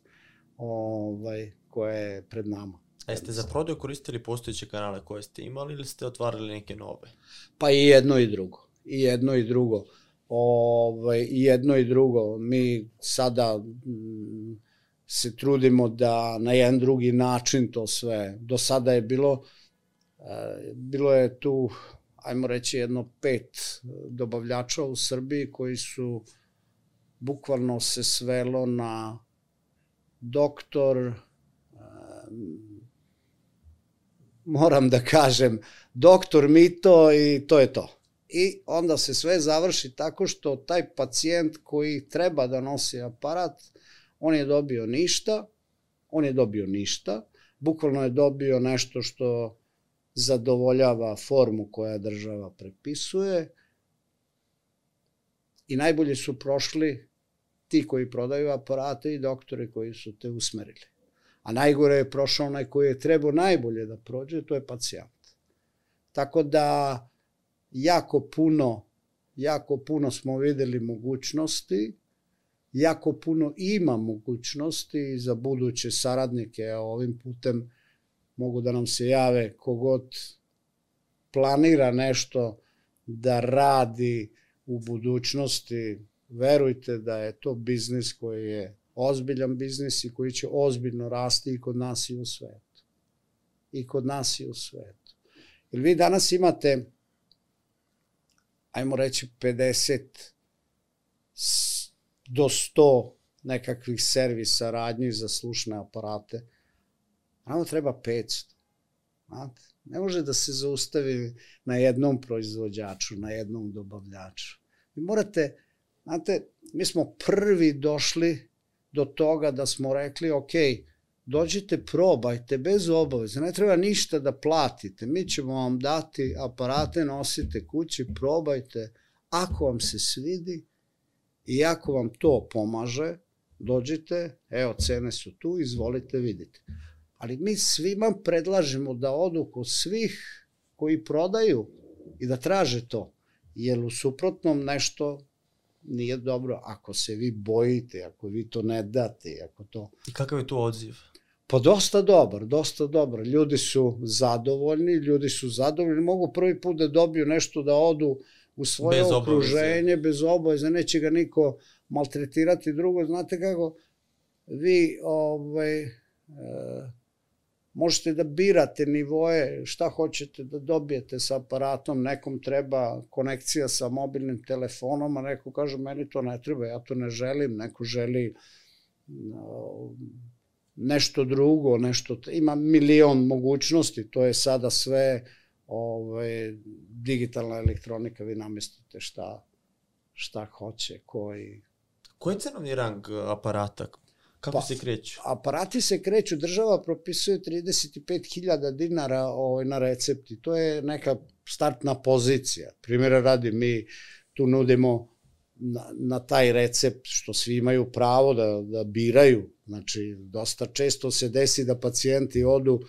ovaj, koja je pred nama. A jeste za prodaju koristili postojeće kanale koje ste imali ili ste otvarali neke nove? Pa i jedno i drugo. I jedno i drugo. Ovaj, i jedno i drugo. Mi sada m, se trudimo da na jedan drugi način to sve. Do sada je bilo, e, bilo je tu, ajmo reći, jedno pet dobavljača u Srbiji koji su bukvalno se svelo na doktor, e, moram da kažem, doktor Mito i to je to. I onda se sve završi tako što taj pacijent koji treba da nosi aparat, on je dobio ništa, on je dobio ništa, bukvalno je dobio nešto što zadovoljava formu koja država prepisuje, i najbolje su prošli ti koji prodaju aparate i doktore koji su te usmerili. A najgore je prošao onaj koji je trebao najbolje da prođe, to je pacijent. Tako da jako puno, jako puno smo videli mogućnosti, jako puno ima mogućnosti za buduće saradnike, a ovim putem mogu da nam se jave kogod planira nešto da radi u budućnosti. Verujte da je to biznis koji je ozbiljan biznis i koji će ozbiljno rasti i kod nas i u svetu. I kod nas i u svetu. Jer vi danas imate, ajmo reći, pedeset do sto nekakvih servisa, radnji za slušne aparate. Nama treba petsto. Znate? Ne može da se zaustavi na jednom proizvođaču, na jednom dobavljaču. Vi morate, znate, mi smo prvi došli do toga da smo rekli, ok, dođite, probajte, bez obaveza, ne treba ništa da platite, mi ćemo vam dati aparate, nosite kući, probajte, ako vam se svidi i ako vam to pomaže, dođite, evo, cene su tu, izvolite, vidite. Ali mi svima predlažemo da odu kod svih koji prodaju i da traže to, jer u suprotnom nešto nije dobro. Ako se vi bojite, ako vi to ne date, ako to... I kakav je tu odziv? Pa dosta dobar, dosta dobar. Ljudi su zadovoljni, ljudi su zadovoljni, mogu prvi put da dobiju nešto, da odu u svoje bez okruženje, obaveze. bez obaveze, neće ga niko maltretirati. Drugo, znate kako, vi ovaj, e, možete da birate nivoje, šta hoćete da dobijete sa aparatom, nekom treba konekcija sa mobilnim telefonom, a neko kaže, meni to ne treba, ja to ne želim, neko želi no, nešto drugo, nešto, ima milion mogućnosti, to je sada sve ovaj, digitalna elektronika, vi namestite šta, šta hoće, koji... Koji je cenovni rang aparata? Kako pa, se kreću? Aparati se kreću, država propisuje trideset pet hiljada dinara ovaj, na recepti. To je neka startna pozicija. Primjera radi, mi tu nudimo na, na taj recept, što svi imaju pravo da, da biraju. Znači, dosta često se desi da pacijenti odu,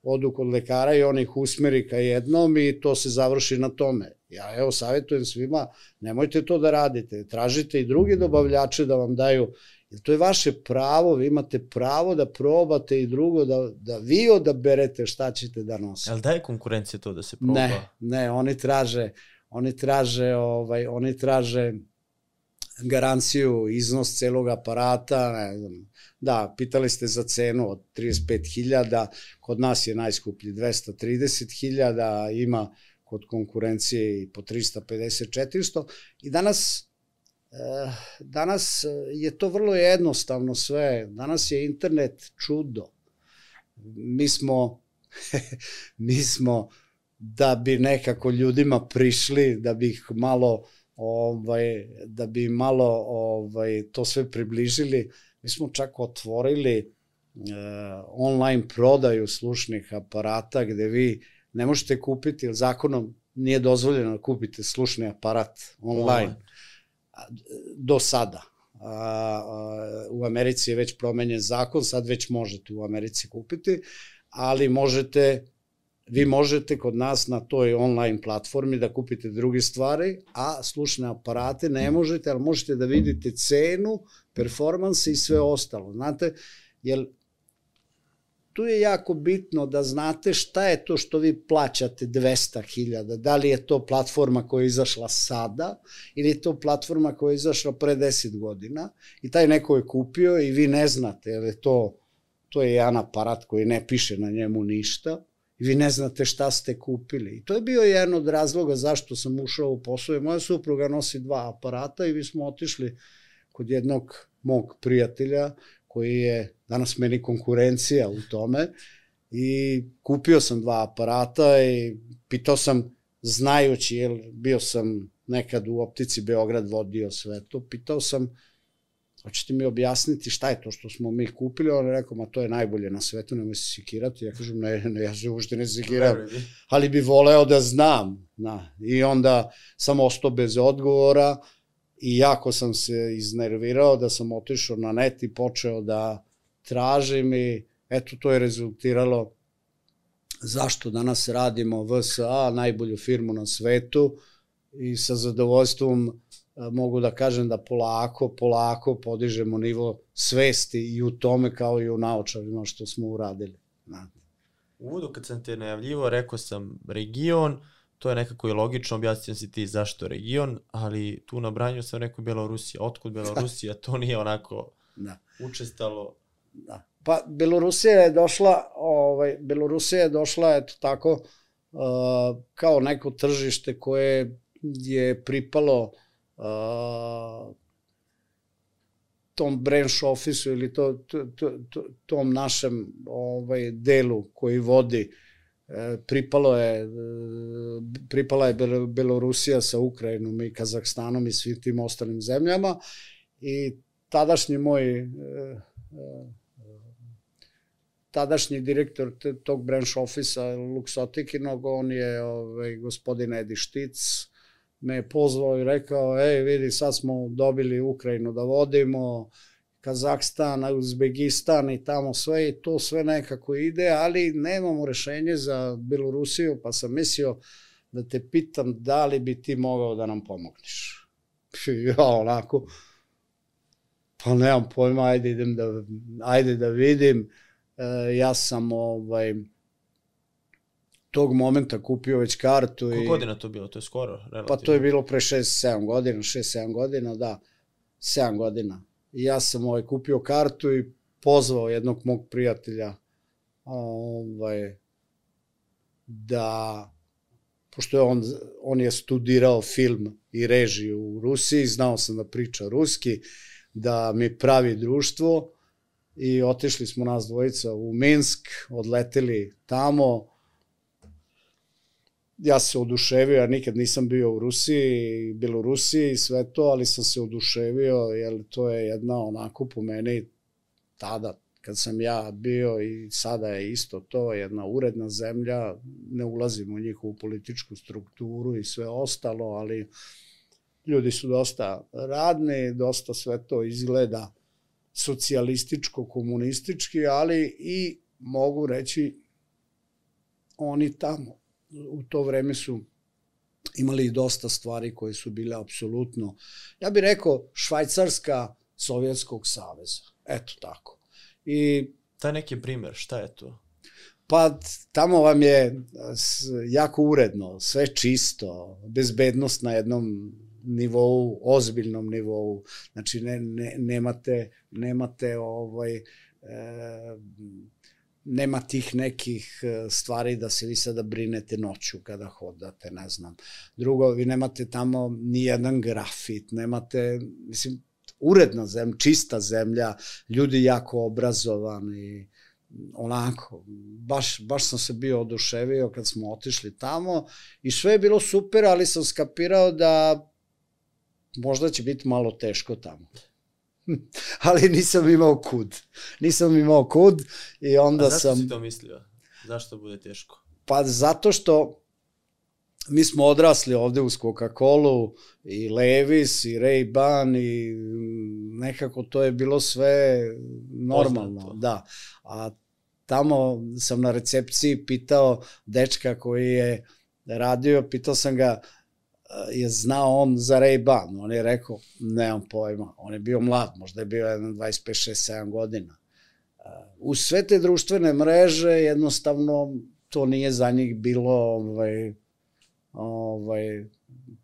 odu kod lekara i on ih usmeri ka jednom i to se završi na tome. Ja evo savjetujem svima, nemojte to da radite. Tražite i drugi dobavljače da vam daju. Jer to je vaše pravo, vi imate pravo da probate i drugo, da, da vi odaberete šta ćete da nosite. Ali daje konkurencija to da se proba? Ne, ne, oni traže, oni traže, ovaj, oni traže garanciju, iznos celog aparata, ne znam, da, pitali ste za cenu od trideset pet hiljada, kod nas je najskuplji dvesta trideset hiljada, ima kod konkurencije i po trista pedeset četiristo i danas Danas je to vrlo jednostavno sve. Danas je internet čudo. Mi smo, mi smo da bi nekako ljudima prišli, da bi ih malo, ovaj, da bi malo ovaj, to sve približili, mi smo čak otvorili eh, online prodaju slušnih aparata gde vi ne možete kupiti, jer zakonom nije dozvoljeno da kupite slušni aparat online. online. Do sada. U Americi je već promenjen zakon, sad već možete u Americi kupiti, ali možete, vi možete kod nas na toj online platformi da kupite druge stvari, a slušne aparate ne možete, ali možete da vidite cenu, performanse i sve ostalo. Znate, jer tu je jako bitno da znate šta je to što vi plaćate dvesta hiljada, da li je to platforma koja je izašla sada ili je to platforma koja je izašla pre deset godina i taj neko je kupio i vi ne znate, jer je to, to je jedan aparat koji ne piše na njemu ništa i vi ne znate šta ste kupili. I to je bio jedan od razloga zašto sam ušao u posao. Moja supruga nosi dva aparata i vi smo otišli kod jednog mog prijatelja koji je danas meni konkurencija u tome i kupio sam dva aparata i pitao sam, znajući, jer bio sam nekad u optici Beograd vodio sve to, pitao sam, hoćete mi objasniti šta je to što smo mi kupili? On je rekao, ma to je najbolje na svetu, nemoj se sekirati. Ja kažem, ne, ne, ja se uopšte ne sekiram, ali bi voleo da znam. Na. I onda sam ostao bez odgovora i jako sam se iznervirao da sam otišao na net i počeo da tražim i eto to je rezultiralo zašto danas radimo V S A, najbolju firmu na svetu i sa zadovoljstvom mogu da kažem da polako, polako podižemo nivo svesti i u tome kao i u naučarima što smo uradili. U uvodu kad sam te najavljivo rekao sam region, to je nekako i logično, objasnio si ti zašto region, ali tu na branju sam rekao Belorusija. Otkud Belorusija? To nije onako da. učestalo. Da. Pa Belorusija je došla, ovaj, Belorusija je došla, eto tako, uh, kao neko tržište koje je pripalo uh, tom branch office-u ili to, to, to, to, tom našem ovaj, delu koji vodi. E, pripalo je, pripala je Belorusija sa Ukrajinom i Kazahstanom i svim tim ostalim zemljama i tadašnji moj e, e, tadašnji direktor tog branch office-a Luxotikinog, on je ovaj, gospodin Edi Štic, me je pozvao i rekao, ej vidi sad smo dobili Ukrajinu da vodimo, Kazahstan, Uzbekistan i tamo sve i to sve nekako ide, ali nemamo rešenje za Belorusiju, pa sam mislio da te pitam da li bi ti mogao da nam pomogneš. Ja onako, pa nemam pojma, ajde idem da, ajde da vidim. E, ja sam ovaj, tog momenta kupio već kartu. Koliko godina to bilo? To je skoro? Relativno. Pa to je bilo pre šest sedam godina, šest sedam godina, da, sedam godina. I ja sam ovaj, kupio kartu i pozvao jednog mog prijatelja ovaj, da, pošto je on, on je studirao film i režiju u Rusiji, znao sam da priča ruski, da mi pravi društvo i otišli smo nas dvojica u Minsk, odleteli tamo. Ja se oduševio, ja nikad nisam bio u Rusiji, Belorusiji i sve to, ali sam se oduševio, jer to je jedna onako po meni tada, kad sam ja bio i sada je isto to, jedna uredna zemlja, ne ulazim u njihovu političku strukturu i sve ostalo, ali ljudi su dosta radni, dosta sve to izgleda socijalističko-komunistički, ali i mogu reći oni tamo u to vreme su imali dosta stvari koje su bile apsolutno, ja bih rekao, Švajcarska Sovjetskog saveza. Eto tako. I taj neki primer, šta je to? Pa tamo vam je jako uredno, sve čisto, bezbednost na jednom nivou, ozbiljnom nivou. Znači ne, ne, nemate, nemate ovaj... E, nema tih nekih stvari da se vi sada brinete noću kada hodate, ne znam. Drugo, vi nemate tamo ni jedan grafit, nemate, mislim, uredna zemlja, čista zemlja, ljudi jako obrazovani, onako, baš, baš sam se bio oduševio kad smo otišli tamo i sve je bilo super, ali sam skapirao da možda će biti malo teško tamo. Ali nisam imao kud. Nisam imao kud i onda sam... A zašto sam... si to mislio? Zašto bude teško? Pa zato što mi smo odrasli ovde uz Coca-Colu i Levi's i Ray-Ban i nekako to je bilo sve normalno. Poznato. Da. A tamo sam na recepciji pitao dečka koji je radio, pitao sam ga je znao on za Ray-Ban. On je rekao, nemam pojma. On je bio mlad, možda je bio dvadeset pet, šest, sedam godina. U sve te društvene mreže jednostavno to nije za njih bilo ovaj, ovaj,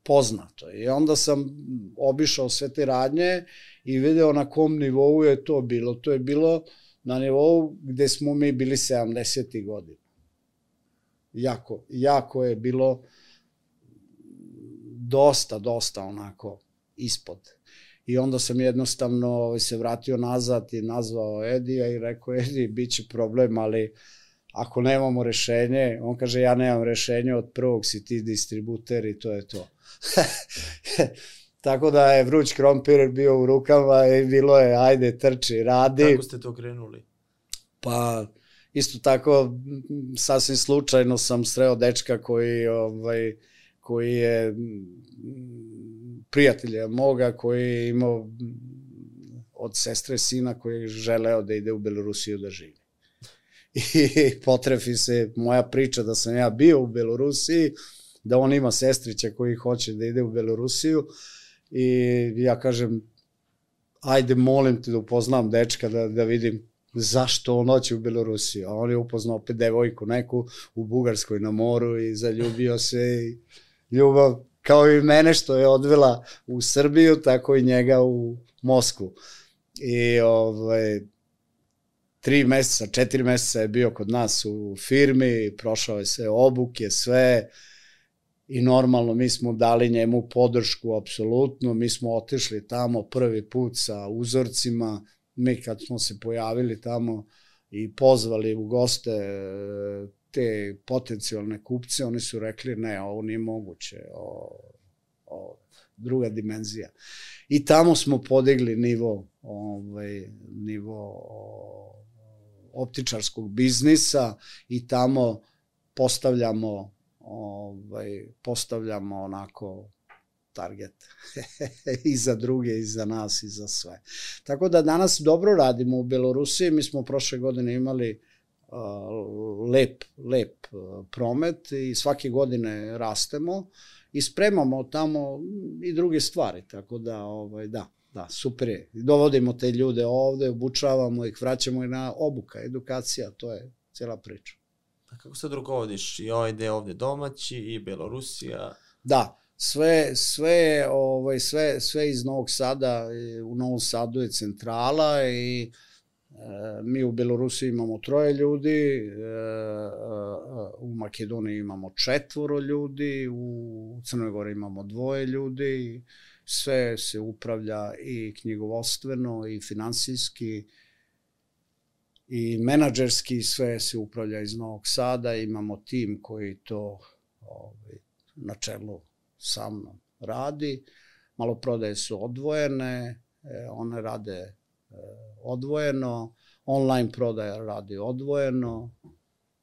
poznato. I onda sam obišao sve te radnje i video na kom nivou je to bilo. To je bilo na nivou gde smo mi bili sedamdesetih godina. Jako, jako je bilo dosta, dosta onako ispod. I onda sam jednostavno se vratio nazad i nazvao Edija i rekao, Edi, bit će problem, ali ako nemamo rešenje, on kaže, ja nemam rešenje, od prvog si ti distributer i to je to. Tako da je vruć krompir bio u rukama i bilo je, ajde, trči, radi. Kako ste to krenuli? Pa, isto tako, sasvim slučajno sam sreo dečka koji, ovaj, koji je prijatelja moga, koji je imao od sestre sina koji je želeo da ide u Belorusiju da živi. I potrefi se moja priča da sam ja bio u Belorusiji, da on ima sestrića koji hoće da ide u Belorusiju i ja kažem, ajde molim te da upoznam dečka da, da vidim zašto on hoće u Belorusiju. A on je upoznao opet devojku neku u Bugarskoj na moru i zaljubio se i ljubav kao i mene što je odvela u Srbiju, tako i njega u Moskvu. I ovaj, tri meseca, četiri meseca je bio kod nas u firmi, prošao je sve obuke, sve i normalno mi smo dali njemu podršku apsolutno, mi smo otišli tamo prvi put sa uzorcima, mi kad smo se pojavili tamo i pozvali u goste te potencijalne kupce, oni su rekli ne, ovo nije moguće, o, o, druga dimenzija. I tamo smo podigli nivo, ovaj, nivo o, optičarskog biznisa i tamo postavljamo ovaj, postavljamo onako target i za druge, i za nas, i za sve. Tako da danas dobro radimo u Belorusiji, mi smo prošle godine imali uh, lep, lep uh, promet i svake godine rastemo i spremamo tamo i druge stvari, tako da, ovaj, da, da, super je. Dovodimo te ljude ovde, obučavamo ih, vraćamo ih na obuka, edukacija, to je cijela priča. A kako sad rukovodiš i ovaj deo ovde domaći i Belorusija? Da, sve, sve, ovaj, sve, sve iz Novog Sada, u Novom Sadu je centrala i e, mi u Belorusiji imamo troje ljudi, e, u Makedoniji imamo četvoro ljudi, u Crnoj Gori imamo dvoje ljudi, sve se upravlja i knjigovodstveno i finansijski i menadžerski, sve se upravlja iz Novog Sada, imamo tim koji to ovaj, na čelu sa mnom radi, maloprodaje su odvojene, one rade odvojeno, online prodaja radi odvojeno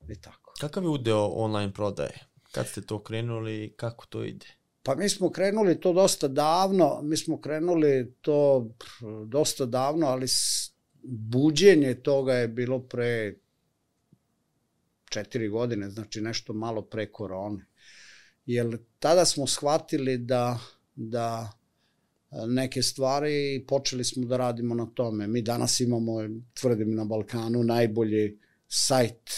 i tako. Kakav je udeo online prodaje? Kad ste to krenuli i kako to ide? Pa mi smo krenuli to dosta davno, mi smo krenuli to dosta davno, ali buđenje toga je bilo pre četiri godine, znači nešto malo pre korone. Jer tada smo shvatili da, da neke stvari počeli smo da radimo na tome. Mi danas imamo, tvrdim na Balkanu, najbolji sajt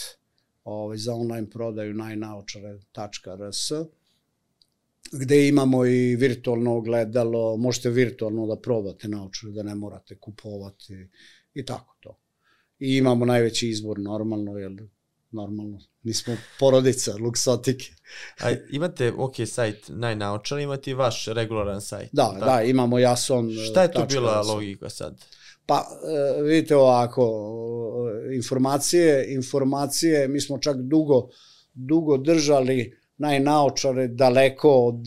ovaj, za online prodaju najnaočare tačka r s, gde imamo i virtualno ogledalo, možete virtualno da probate naočare, da ne morate kupovati i tako to. I imamo najveći izbor normalno, jer normalno, mi smo porodica, luksotike. A imate, ok, sajt najnaočar, imate i vaš regularan sajt. Da, tako? Da, imamo Jason. Šta je to bila logika sad? Pa, vidite ovako, informacije, informacije, mi smo čak dugo, dugo držali najnaočare daleko od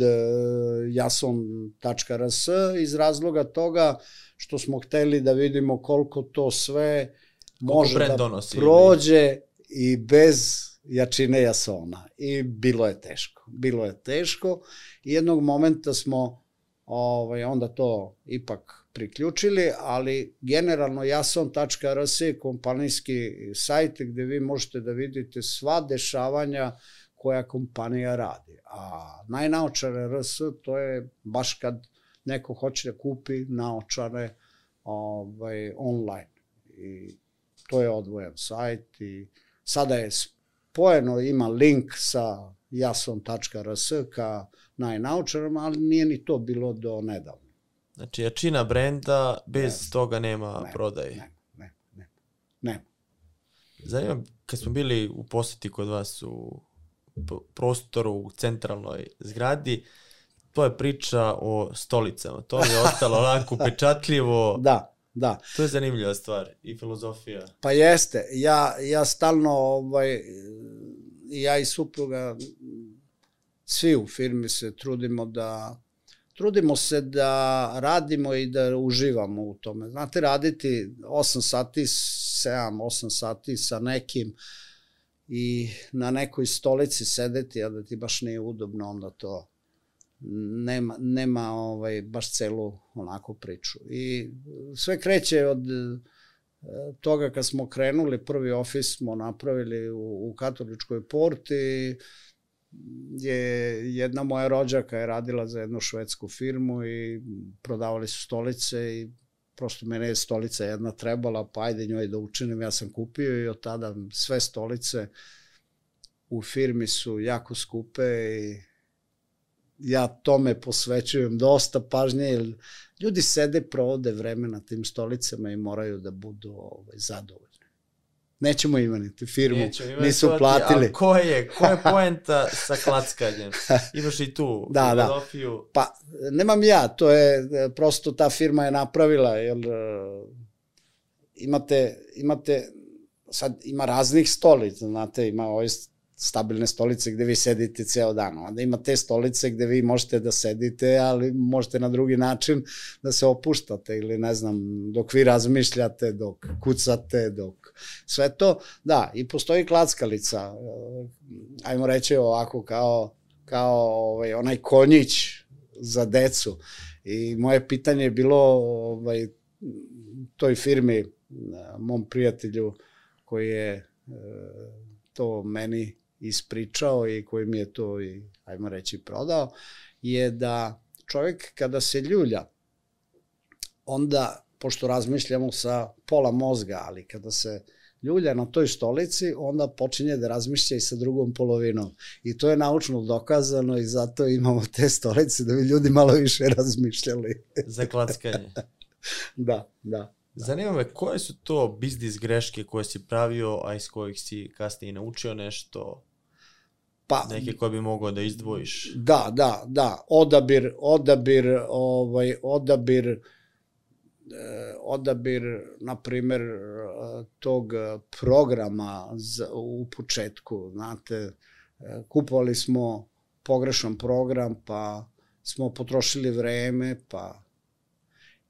jason tačka r s iz razloga toga što smo hteli da vidimo koliko to sve može da donosi, prođe ili... i bez jačine jasona. I bilo je teško. Bilo je teško i jednog momenta smo ovaj, onda to ipak priključili, ali generalno jason tačka r s je kompanijski sajt gde vi možete da vidite sva dešavanja koja kompanija radi. A najnaočare R S, to je baš kad neko hoće da kupi naočare ovaj, online. I to je odvojen sajt i sada je spojeno, ima link sa jason tačka r s ka najnaočarama, ali nije ni to bilo do nedavno. Znači, jačina brenda, bez ne, toga nema ne, prodaje. Ne, ne, ne, ne. Zanima, kad smo bili u poseti kod vas u prostoru u centralnoj zgradi, to je priča o stolicama. To mi je ostalo onako upečatljivo. Da, da. To je zanimljiva stvar i filozofija. Pa jeste. Ja, ja stalno, ovaj, ja i supruga, svi u firmi se trudimo da trudimo se da radimo i da uživamo u tome. Znate, raditi osam sati, sedam, osam sati sa nekim i na nekoj stolici sedeti, a da ti baš nije udobno, onda to nema, nema ovaj, baš celu onako priču. I sve kreće od toga kad smo krenuli, prvi ofis smo napravili u, u Katoličkoj porti, je jedna moja rođaka je radila za jednu švedsku firmu i prodavali su stolice i prosto mene je stolica jedna trebala, pa ajde njoj da učinim, ja sam kupio i od tada sve stolice u firmi su jako skupe i ja tome posvećujem dosta pažnje, jer ljudi sede, provode vreme na tim stolicama i moraju da budu ovaj, zadovoljni. Nećemo imati firmu, Nećemo nisu imati, platili. A ko je, ko je poenta sa klackanjem? Imaš i tu da, filozofiju. Da. Pa, nemam ja, to je, prosto ta firma je napravila, jer imate, imate, sad ima raznih stolica, znate, ima ovaj stabilne stolice gde vi sedite ceo dan, onda ima te stolice gde vi možete da sedite, ali možete na drugi način da se opuštate ili ne znam, dok vi razmišljate, dok kucate, dok sve to, da, i postoji klackalica, ajmo reći ovako kao, kao ovaj, onaj konjić za decu i moje pitanje je bilo ovaj, toj firmi, mom prijatelju koji je to meni ispričao i koji mi je to i, ajmo reći, prodao, je da čovjek kada se ljulja, onda, pošto razmišljamo sa pola mozga, ali kada se ljulja na toj stolici, onda počinje da razmišlja i sa drugom polovinom. I to je naučno dokazano i zato imamo te stolice da bi ljudi malo više razmišljali. Za klackanje. Da, da. Zanima me, koje su to biznis greške koje si pravio, a iz kojih si kasnije naučio nešto, pa, neke koje bi mogao da izdvojiš? Da, da, da, odabir, odabir, ovaj, odabir, eh, odabir, na primer, tog programa za, u početku, znate, kupovali smo pogrešan program, pa smo potrošili vreme, pa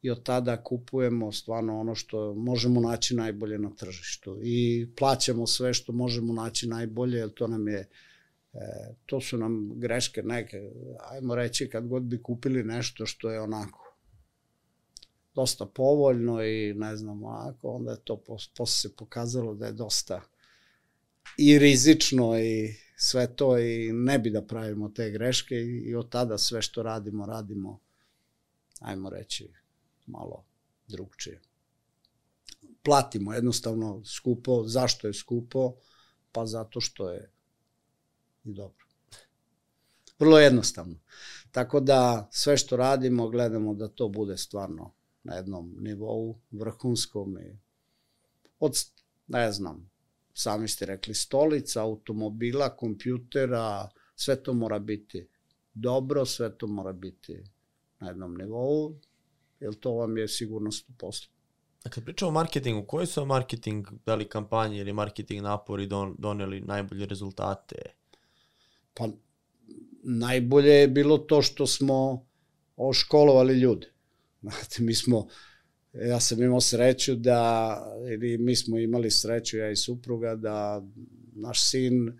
i od tada kupujemo stvarno ono što možemo naći najbolje na tržištu i plaćamo sve što možemo naći najbolje, jer to nam je, e, to su nam greške neke, ajmo reći, kad god bi kupili nešto što je onako dosta povoljno i ne znam, onako, onda je to posle se pokazalo da je dosta i rizično i sve to i ne bi da pravimo te greške i, i od tada sve što radimo, radimo, ajmo reći, malo drugčije. Platimo jednostavno skupo. Zašto je skupo? Pa zato što je i dobro. Vrlo jednostavno. Tako da sve što radimo gledamo da to bude stvarno na jednom nivou vrhunskom i od, ne znam, sami ste rekli, stolica, automobila, kompjutera, sve to mora biti dobro, sve to mora biti na jednom nivou, jer to vam je sigurnost u poslu. Dakle, pričamo o marketingu. Koji su marketing, da li kampanje ili marketing napori don, doneli najbolje rezultate? Pa, najbolje je bilo to što smo oškolovali ljude. Znate, mi smo, ja sam imao sreću da, ili mi smo imali sreću, ja i supruga, da naš sin uh,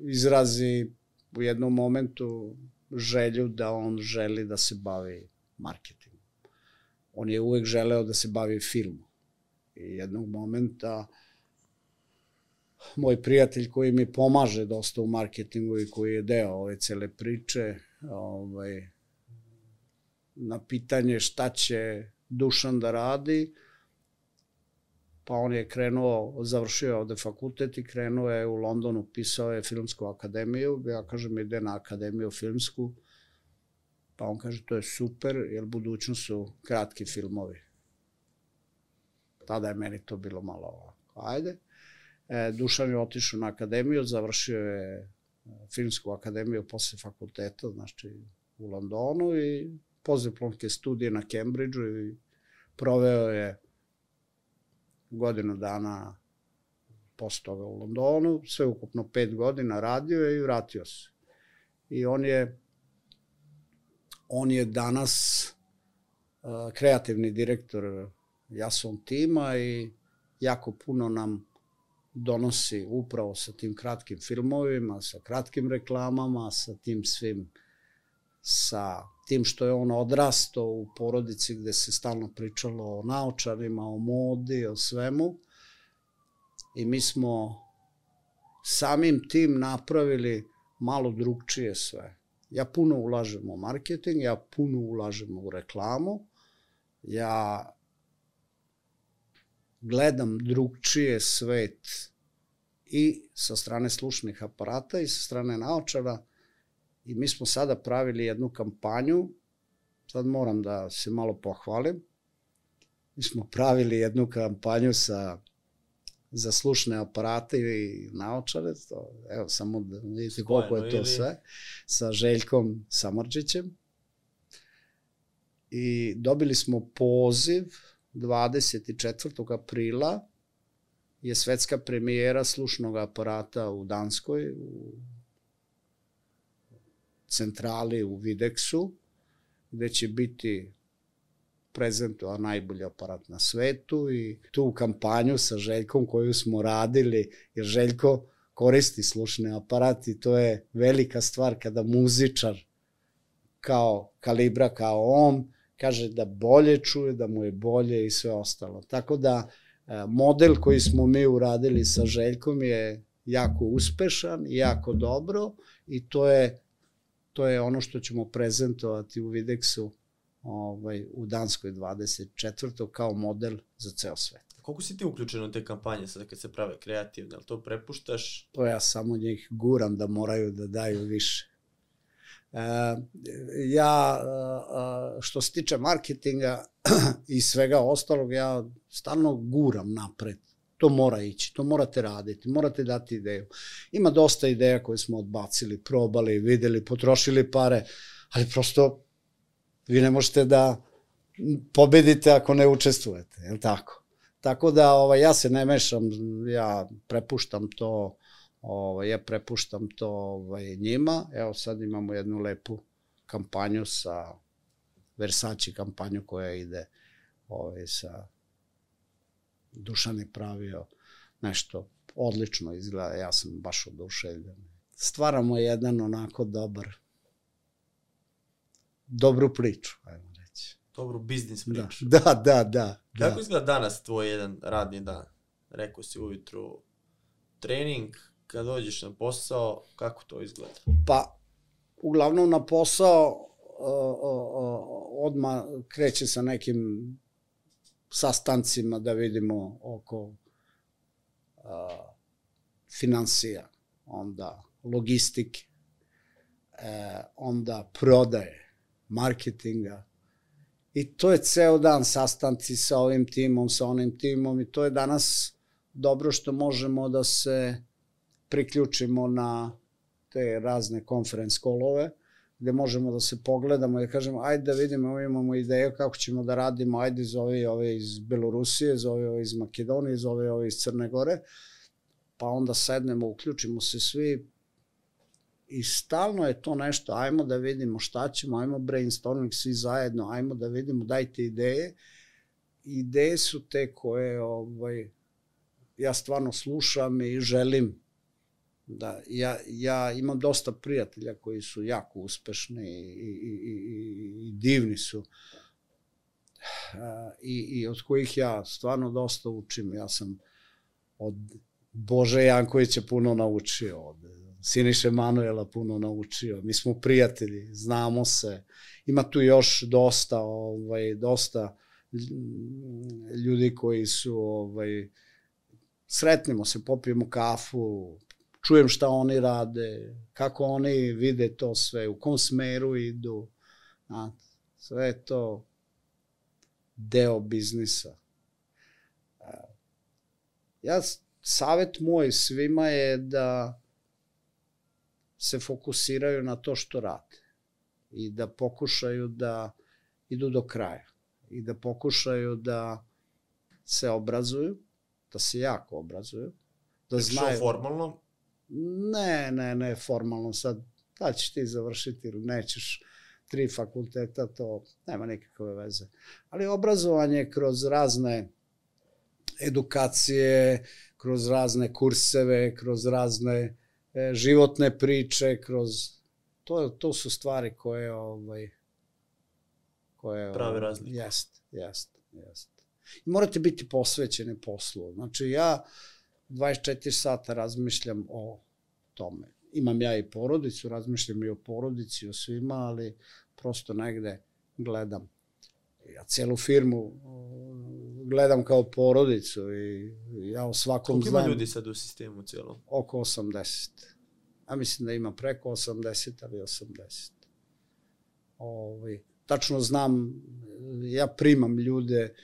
izrazi u jednom momentu želju da on želi da se bavi marketingom. On je uvek želeo da se bavi filmom. I jednog momenta moj prijatelj koji mi pomaže dosta u marketingu i koji je deo ove cele priče, ovaj, na pitanje šta će Dušan da radi, pa on je krenuo, završio ovde fakultet i krenuo je u Londonu, pisao je filmsku akademiju, ja kažem ide na akademiju filmsku, pa on kaže to je super, jer budućnost su kratki filmovi. Tada je meni to bilo malo ovako, ajde. E, Dušan je otišao na akademiju, završio je filmsku akademiju posle fakulteta, znači u Londonu i postdiplomske studije na Cambridgeu i proveo je godinu dana posle toga u Londonu, sve ukupno pet godina radio je i vratio se. I on je on je danas uh, kreativni direktor Jason tima i jako puno nam donosi upravo sa tim kratkim filmovima, sa kratkim reklamama, sa tim svim, sa tim što je on odrastao u porodici gde se stalno pričalo o naočarima, o modi, o svemu. I mi smo samim tim napravili malo drugčije sve. Ja puno ulažem u marketing, ja puno ulažem u reklamu, ja gledam drugčije svet i sa strane slušnih aparata i sa strane naočara i mi smo sada pravili jednu kampanju, sad moram da se malo pohvalim, mi smo pravili jednu kampanju sa, za slušne aparate i naočare, to, evo samo da vidite koliko je to sve, sa Željkom Samardžićem i dobili smo poziv dvadeset četvrtog aprila je svetska premijera slušnog aparata u Danskoj, u centrali u Videksu, gde će biti prezentovan najbolji aparat na svetu i tu kampanju sa Željkom koju smo radili, jer Željko koristi slušni aparat i to je velika stvar kada muzičar kao kalibra, kao on, kaže da bolje čuje, da mu je bolje i sve ostalo. Tako da model koji smo mi uradili sa Željkom je jako uspešan i jako dobro i to je, to je ono što ćemo prezentovati u Videksu ovaj, u Danskoj dvadeset četvrtog kao model za ceo svet. Koliko si ti uključen u te kampanje sada kad se prave kreativne, ali to prepuštaš? To ja samo njih guram da moraju da daju više. Uh, ja, uh, što se tiče marketinga i svega ostalog, ja stalno guram napred. To mora ići, to morate raditi, morate dati ideju. Ima dosta ideja koje smo odbacili, probali, videli, potrošili pare, ali prosto vi ne možete da pobedite ako ne učestvujete, je li tako? Tako da ovaj, ja se ne mešam, ja prepuštam to Ovaj, ja prepuštam to ovaj, njima. Evo sad imamo jednu lepu kampanju sa Versace kampanju koja ide ovaj, sa Dušan je pravio nešto odlično izgleda, ja sam baš oduševljen. Stvaramo jedan onako dobar dobru priču, ajmo reći. Dobru biznis priču. Da, da, da. da Kako da. izgleda danas tvoj jedan radni dan? Rekao si ujutru trening, kad dođeš na posao, kako to izgleda? Pa, uglavnom na posao odmah kreće sa nekim sastancima da vidimo oko a, finansija, onda logistike, e, onda prodaje, marketinga i to je ceo dan sastanci sa ovim timom, sa onim timom i to je danas dobro što možemo da se priključimo na te razne conference callove, gde možemo da se pogledamo i da kažemo, ajde da vidimo, imamo ideju kako ćemo da radimo, ajde zove ove iz Belorusije, zove ove iz Makedonije, zove ove iz Crne Gore, pa onda sednemo, uključimo se svi i stalno je to nešto, ajmo da vidimo šta ćemo, ajmo brainstorming svi zajedno, ajmo da vidimo, dajte ideje. Ideje su te koje ovaj, ja stvarno slušam i želim da, ja, ja imam dosta prijatelja koji su jako uspešni i, i, i, i, i divni su I, i od kojih ja stvarno dosta učim. Ja sam od Bože Jankovića puno naučio, od Siniše Manuela puno naučio. Mi smo prijatelji, znamo se. Ima tu još dosta, ovaj, dosta ljudi koji su, ovaj, sretnimo se, popijemo kafu, čujem šta oni rade, kako oni vide to sve, u kom smeru idu. A, sve je to deo biznisa. Ja, savjet moj svima je da se fokusiraju na to što rade i da pokušaju da idu do kraja i da pokušaju da se obrazuju, da se jako obrazuju, da znaju... Što formalno? Ne, ne, ne formalno, sad da ćeš ti završiti ili nećeš tri fakulteta, to nema nikakve veze. Ali obrazovanje kroz razne edukacije, kroz razne kurseve, kroz razne e, životne priče, kroz to to su stvari koje ovaj koje prave razliku. Jest, jest, jest. I morate biti posvećeni poslu. Znači ja dvadeset četiri sata razmišljam o tome. Imam ja i porodicu, razmišljam i o porodici, o svima, ali prosto negde gledam. Ja celu firmu gledam kao porodicu i ja o svakom Koliko znam... ima ljudi sad u sistemu cijelom? Oko osamdeset. A mislim da ima preko osamdeset, ali osamdeset. Ovaj, tačno znam, ja primam ljude,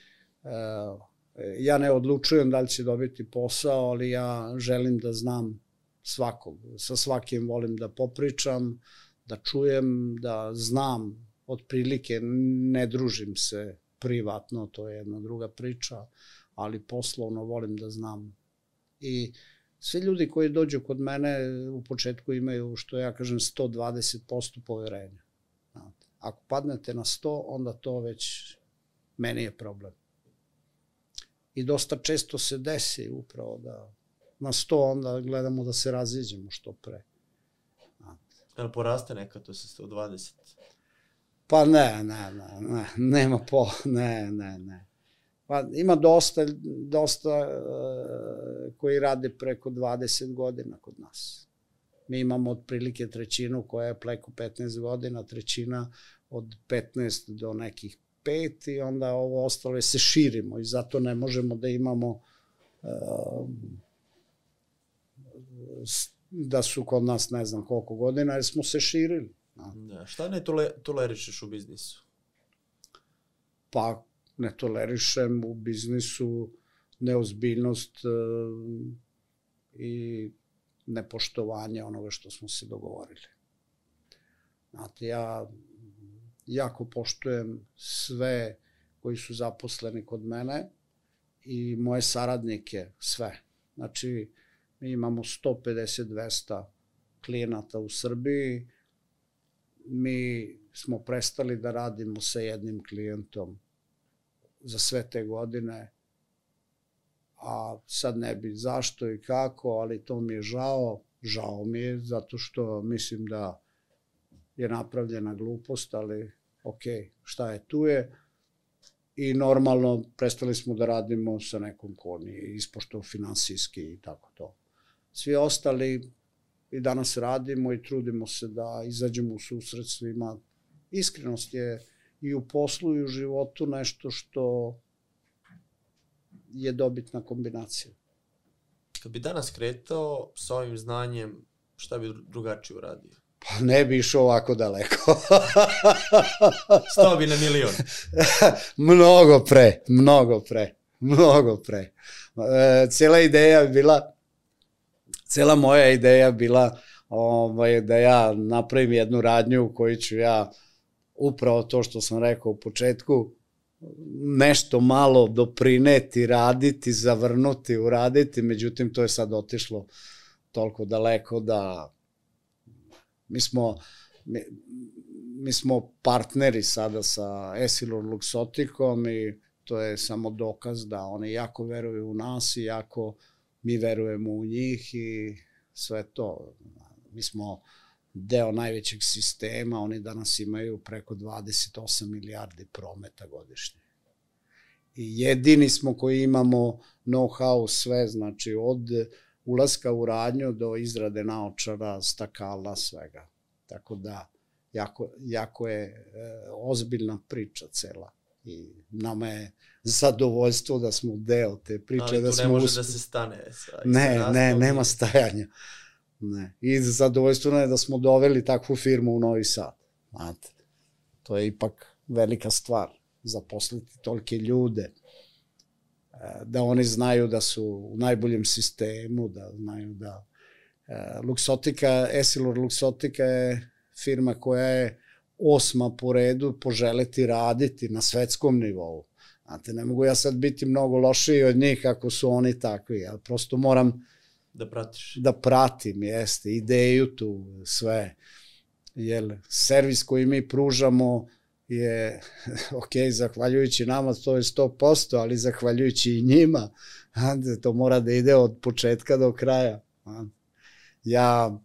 ja ne odlučujem da li će dobiti posao, ali ja želim da znam svakog. Sa svakim volim da popričam, da čujem, da znam otprilike, ne družim se privatno, to je jedna druga priča, ali poslovno volim da znam. I svi ljudi koji dođu kod mene u početku imaju, što ja kažem, sto dvadeset posto poverenja. Ako padnete na sto, onda to već meni je problem. I dosta često se desi upravo da na sto onda gledamo da se raziđemo što pre. Ali poraste nekad to sa sto dvadeset? Pa ne, ne, ne, ne, nema po, ne, ne, ne. Pa ima dosta, dosta uh, koji rade preko dvadeset godina kod nas. Mi imamo otprilike trećinu koja je preko petnaest godina, trećina od petnaest do nekih pet i onda ovo ostalo se širimo i zato ne možemo da imamo uh, da su kod nas ne znam koliko godina jer smo se širili. Da, šta ne tole, tolerišeš u biznisu? Pa ne tolerišem u biznisu neozbiljnost uh, i nepoštovanje onoga što smo se dogovorili. Znate, ja jako poštujem sve koji su zaposleni kod mene i moje saradnike, sve. Znači, mi imamo sto pedeset do dvesta klijenata u Srbiji, mi smo prestali da radimo sa jednim klijentom za sve te godine, a sad ne bi zašto i kako, ali to mi je žao, žao mi je, zato što mislim da je napravljena glupost, ali ok, šta je tu je. I normalno prestali smo da radimo sa nekom ko nije ispoštao finansijski i tako to. Svi ostali i danas radimo i trudimo se da izađemo u susret svima. Iskrenost je i u poslu i u životu nešto što je dobitna kombinacija. Kad bi danas kretao sa ovim znanjem, šta bi drugačije uradio? Pa ne bi išao ovako daleko. Stao bi na milion. Mnogo pre, mnogo pre, mnogo pre. E, cijela ideja bila, cijela moja ideja bila ovaj, da ja napravim jednu radnju u kojoj ću ja upravo to što sam rekao u početku, nešto malo doprineti, raditi, zavrnuti, uraditi, međutim to je sad otišlo toliko daleko da mi smo, mi, mi smo partneri sada sa Essilor Luxotticom i to je samo dokaz da oni jako veruju u nas i jako mi verujemo u njih i sve to. Mi smo deo najvećeg sistema, oni danas imaju preko dvadeset osam milijardi prometa godišnje. I jedini smo koji imamo know-how sve, znači od ulaska u radnju do izrade naočara, stakala, svega. Tako da, jako, jako je e, ozbiljna priča cela. I nama je zadovoljstvo da smo deo te priče. Ali tu da smo ne može usp... da se stane. Sa, ne, sa ne, nema stajanja. Ne. I zadovoljstveno je da smo doveli takvu firmu u Novi Sad. Znate, to je ipak velika stvar, zaposliti tolike ljude, da oni znaju da su u najboljem sistemu, da znaju da... Luxottica, Essilor Luxottica je firma koja je osma po redu poželeti raditi na svetskom nivou. Znate, ne mogu ja sad biti mnogo lošiji od njih ako su oni takvi, ja prosto moram da pratiš. Da pratim, jeste, ideju tu, sve. Jer servis koji mi pružamo je, ok, zahvaljujući nama to je sto posto, ali zahvaljujući i njima, to mora da ide od početka do kraja. Ja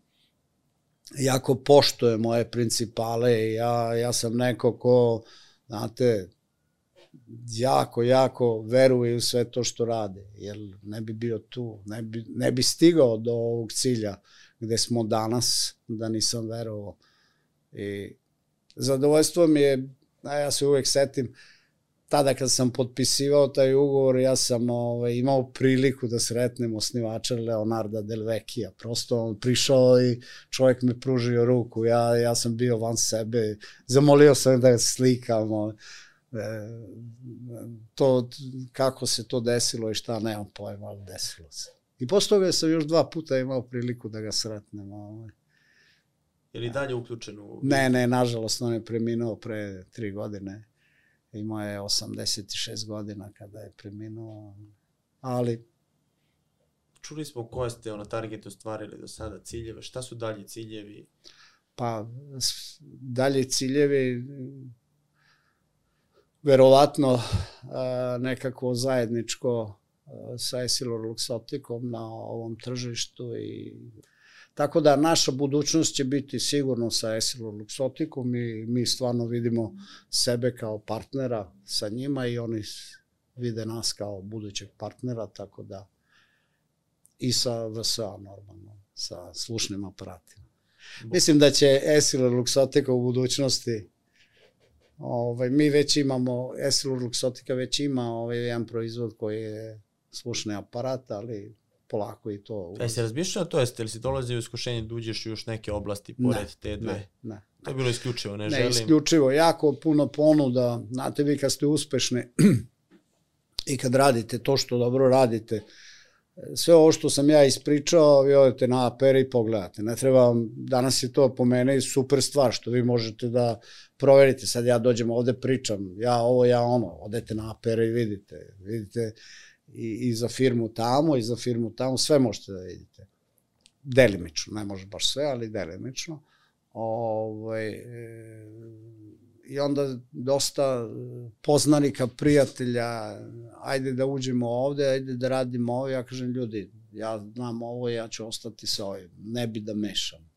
jako poštujem moje principale, ja, ja sam neko ko, znate, jako, jako veruje u sve to što rade, jer ne bi bio tu, ne bi, ne bi stigao do ovog cilja gde smo danas, da nisam verovao. I zadovoljstvo mi je, a ja se uvek setim, tada kad sam potpisivao taj ugovor, ja sam ovaj, imao priliku da sretnem osnivača Leonarda Del Vecchia. Prosto on prišao i čovjek me pružio ruku, ja, ja sam bio van sebe, zamolio sam da slikam, to, kako se to desilo i šta, nemam pojma, ali desilo se. I posle toga sam još dva puta imao priliku da ga sretnem. Ovaj. Je li dalje uključen u... Ne, ne, nažalost, on je preminuo pre tri godine. Imao je osamdeset šest godina kada je preminuo, ali... Čuli smo koje ste ono target ostvarili do sada, ciljeve, šta su dalji ciljevi? Pa, dalji ciljevi, verovatno nekako zajedničko sa Essilor-Luxotticom na ovom tržištu i... Tako da naša budućnost će biti sigurno sa Essilor-Luxotticom i mi stvarno vidimo sebe kao partnera sa njima i oni vide nas kao budućeg partnera, tako da i sa V S A normalno, sa slušnim aparatima. Mislim da će Essilor-Luxottica u budućnosti, ovaj, mi već imamo, Essilor-Luxottica već ima ovaj, jedan proizvod koji je slušni aparat, ali polako i to. E, si razmišljao to, jeste li si dolazi u iskušenje da uđeš u još neke oblasti pored ne, te dve? Ne, ne. To je bilo isključivo, ne, ne želim. Ne, isključivo, jako puno ponuda, znate vi kad ste uspešni i kad radite to što dobro radite, sve ovo što sam ja ispričao, vi odete na A P R i pogledate. Ne treba vam, danas je to po mene super stvar što vi možete da proverite. Sad ja dođem ovde pričam, ja ovo, ja ono, odete na A P R i vidite, vidite i, i za firmu tamo, i za firmu tamo, sve možete da vidite. Delimično, ne može baš sve, ali delimično. Ovaj, e, i onda dosta poznanika, prijatelja, ajde da uđemo ovde, ajde da radimo ovo, ja kažem ljudi, ja znam ovo, ja ću ostati sa ovim, ne bi da mešam.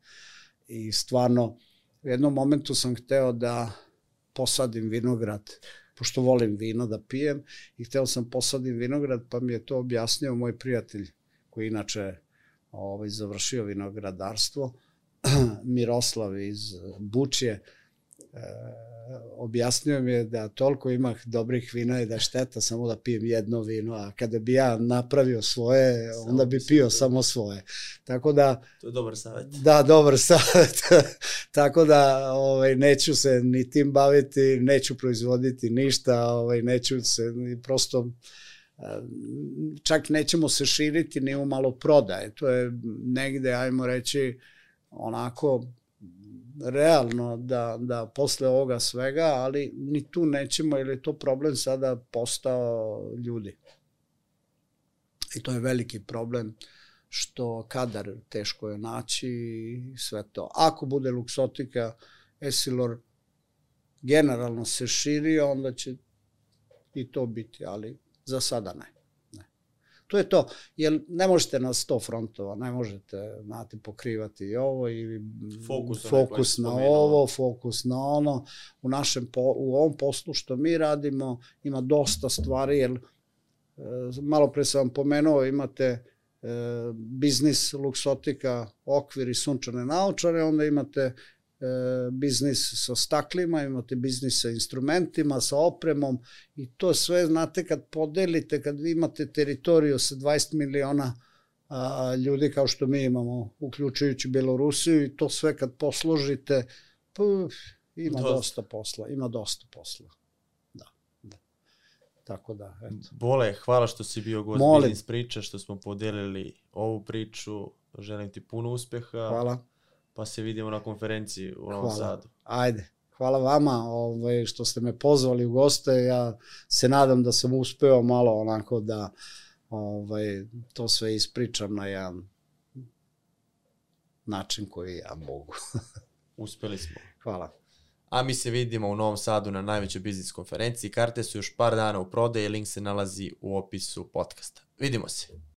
I stvarno, u jednom momentu sam hteo da posadim vinograd, pošto volim vino da pijem, i hteo sam posadim vinograd, pa mi je to objasnio moj prijatelj, koji inače ovaj, završio vinogradarstvo, Miroslav iz Bučje, e, objasnio mi je da toliko ima dobrih vina i da je šteta samo da pijem jedno vino, a kada bi ja napravio svoje, onda bi pio samo svoje. Tako da... To je dobar savjet. Da, dobar savjet. Tako da ovaj, neću se ni tim baviti, neću proizvoditi ništa, ovaj, neću se prosto... Čak nećemo se širiti ni u malo prodaje. To je negde, ajmo reći, onako realno da, da posle ovoga svega, ali ni tu nećemo, jer je to problem sada postao ljudi. I to je veliki problem, što kadar teško je naći i sve to. Ako bude Luxottica, Essilor generalno se širi, onda će i to biti, ali za sada ne. To je to, jer ne možete na sto frontova, ne možete, znate, pokrivati i ovo, i fokus, fokus na ovo, fokus na ono. U našem, u ovom poslu što mi radimo ima dosta stvari, jer malo pre sam vam pomenuo, imate biznis Luxottica, okvir i sunčane naočare, onda imate biznis sa staklima, imate biznis sa instrumentima, sa opremom, i to sve, znate, kad podelite, kad vi imate teritoriju sa dvadeset miliona a, ljudi kao što mi imamo, uključujući Belorusiju, i to sve kad posložite, puf, ima dosta. dosta posla, ima dosta posla. Da, da. Tako da, eto. Bole, hvala što si bio gost Biznis Priča, što smo podelili ovu priču, želim ti puno uspeha. Hvala. Pa se vidimo na konferenciji u Novom Sadu. Ajde, hvala vama ovaj, što ste me pozvali u goste. Ja se nadam da sam uspeo malo onako da ovaj, to sve ispričam na jedan način koji ja mogu. Uspeli smo. Hvala. a mi se vidimo u Novom Sadu na najvećoj biznis konferenciji. Karte su još par dana u prodaji, link se nalazi u opisu podcasta. Vidimo se.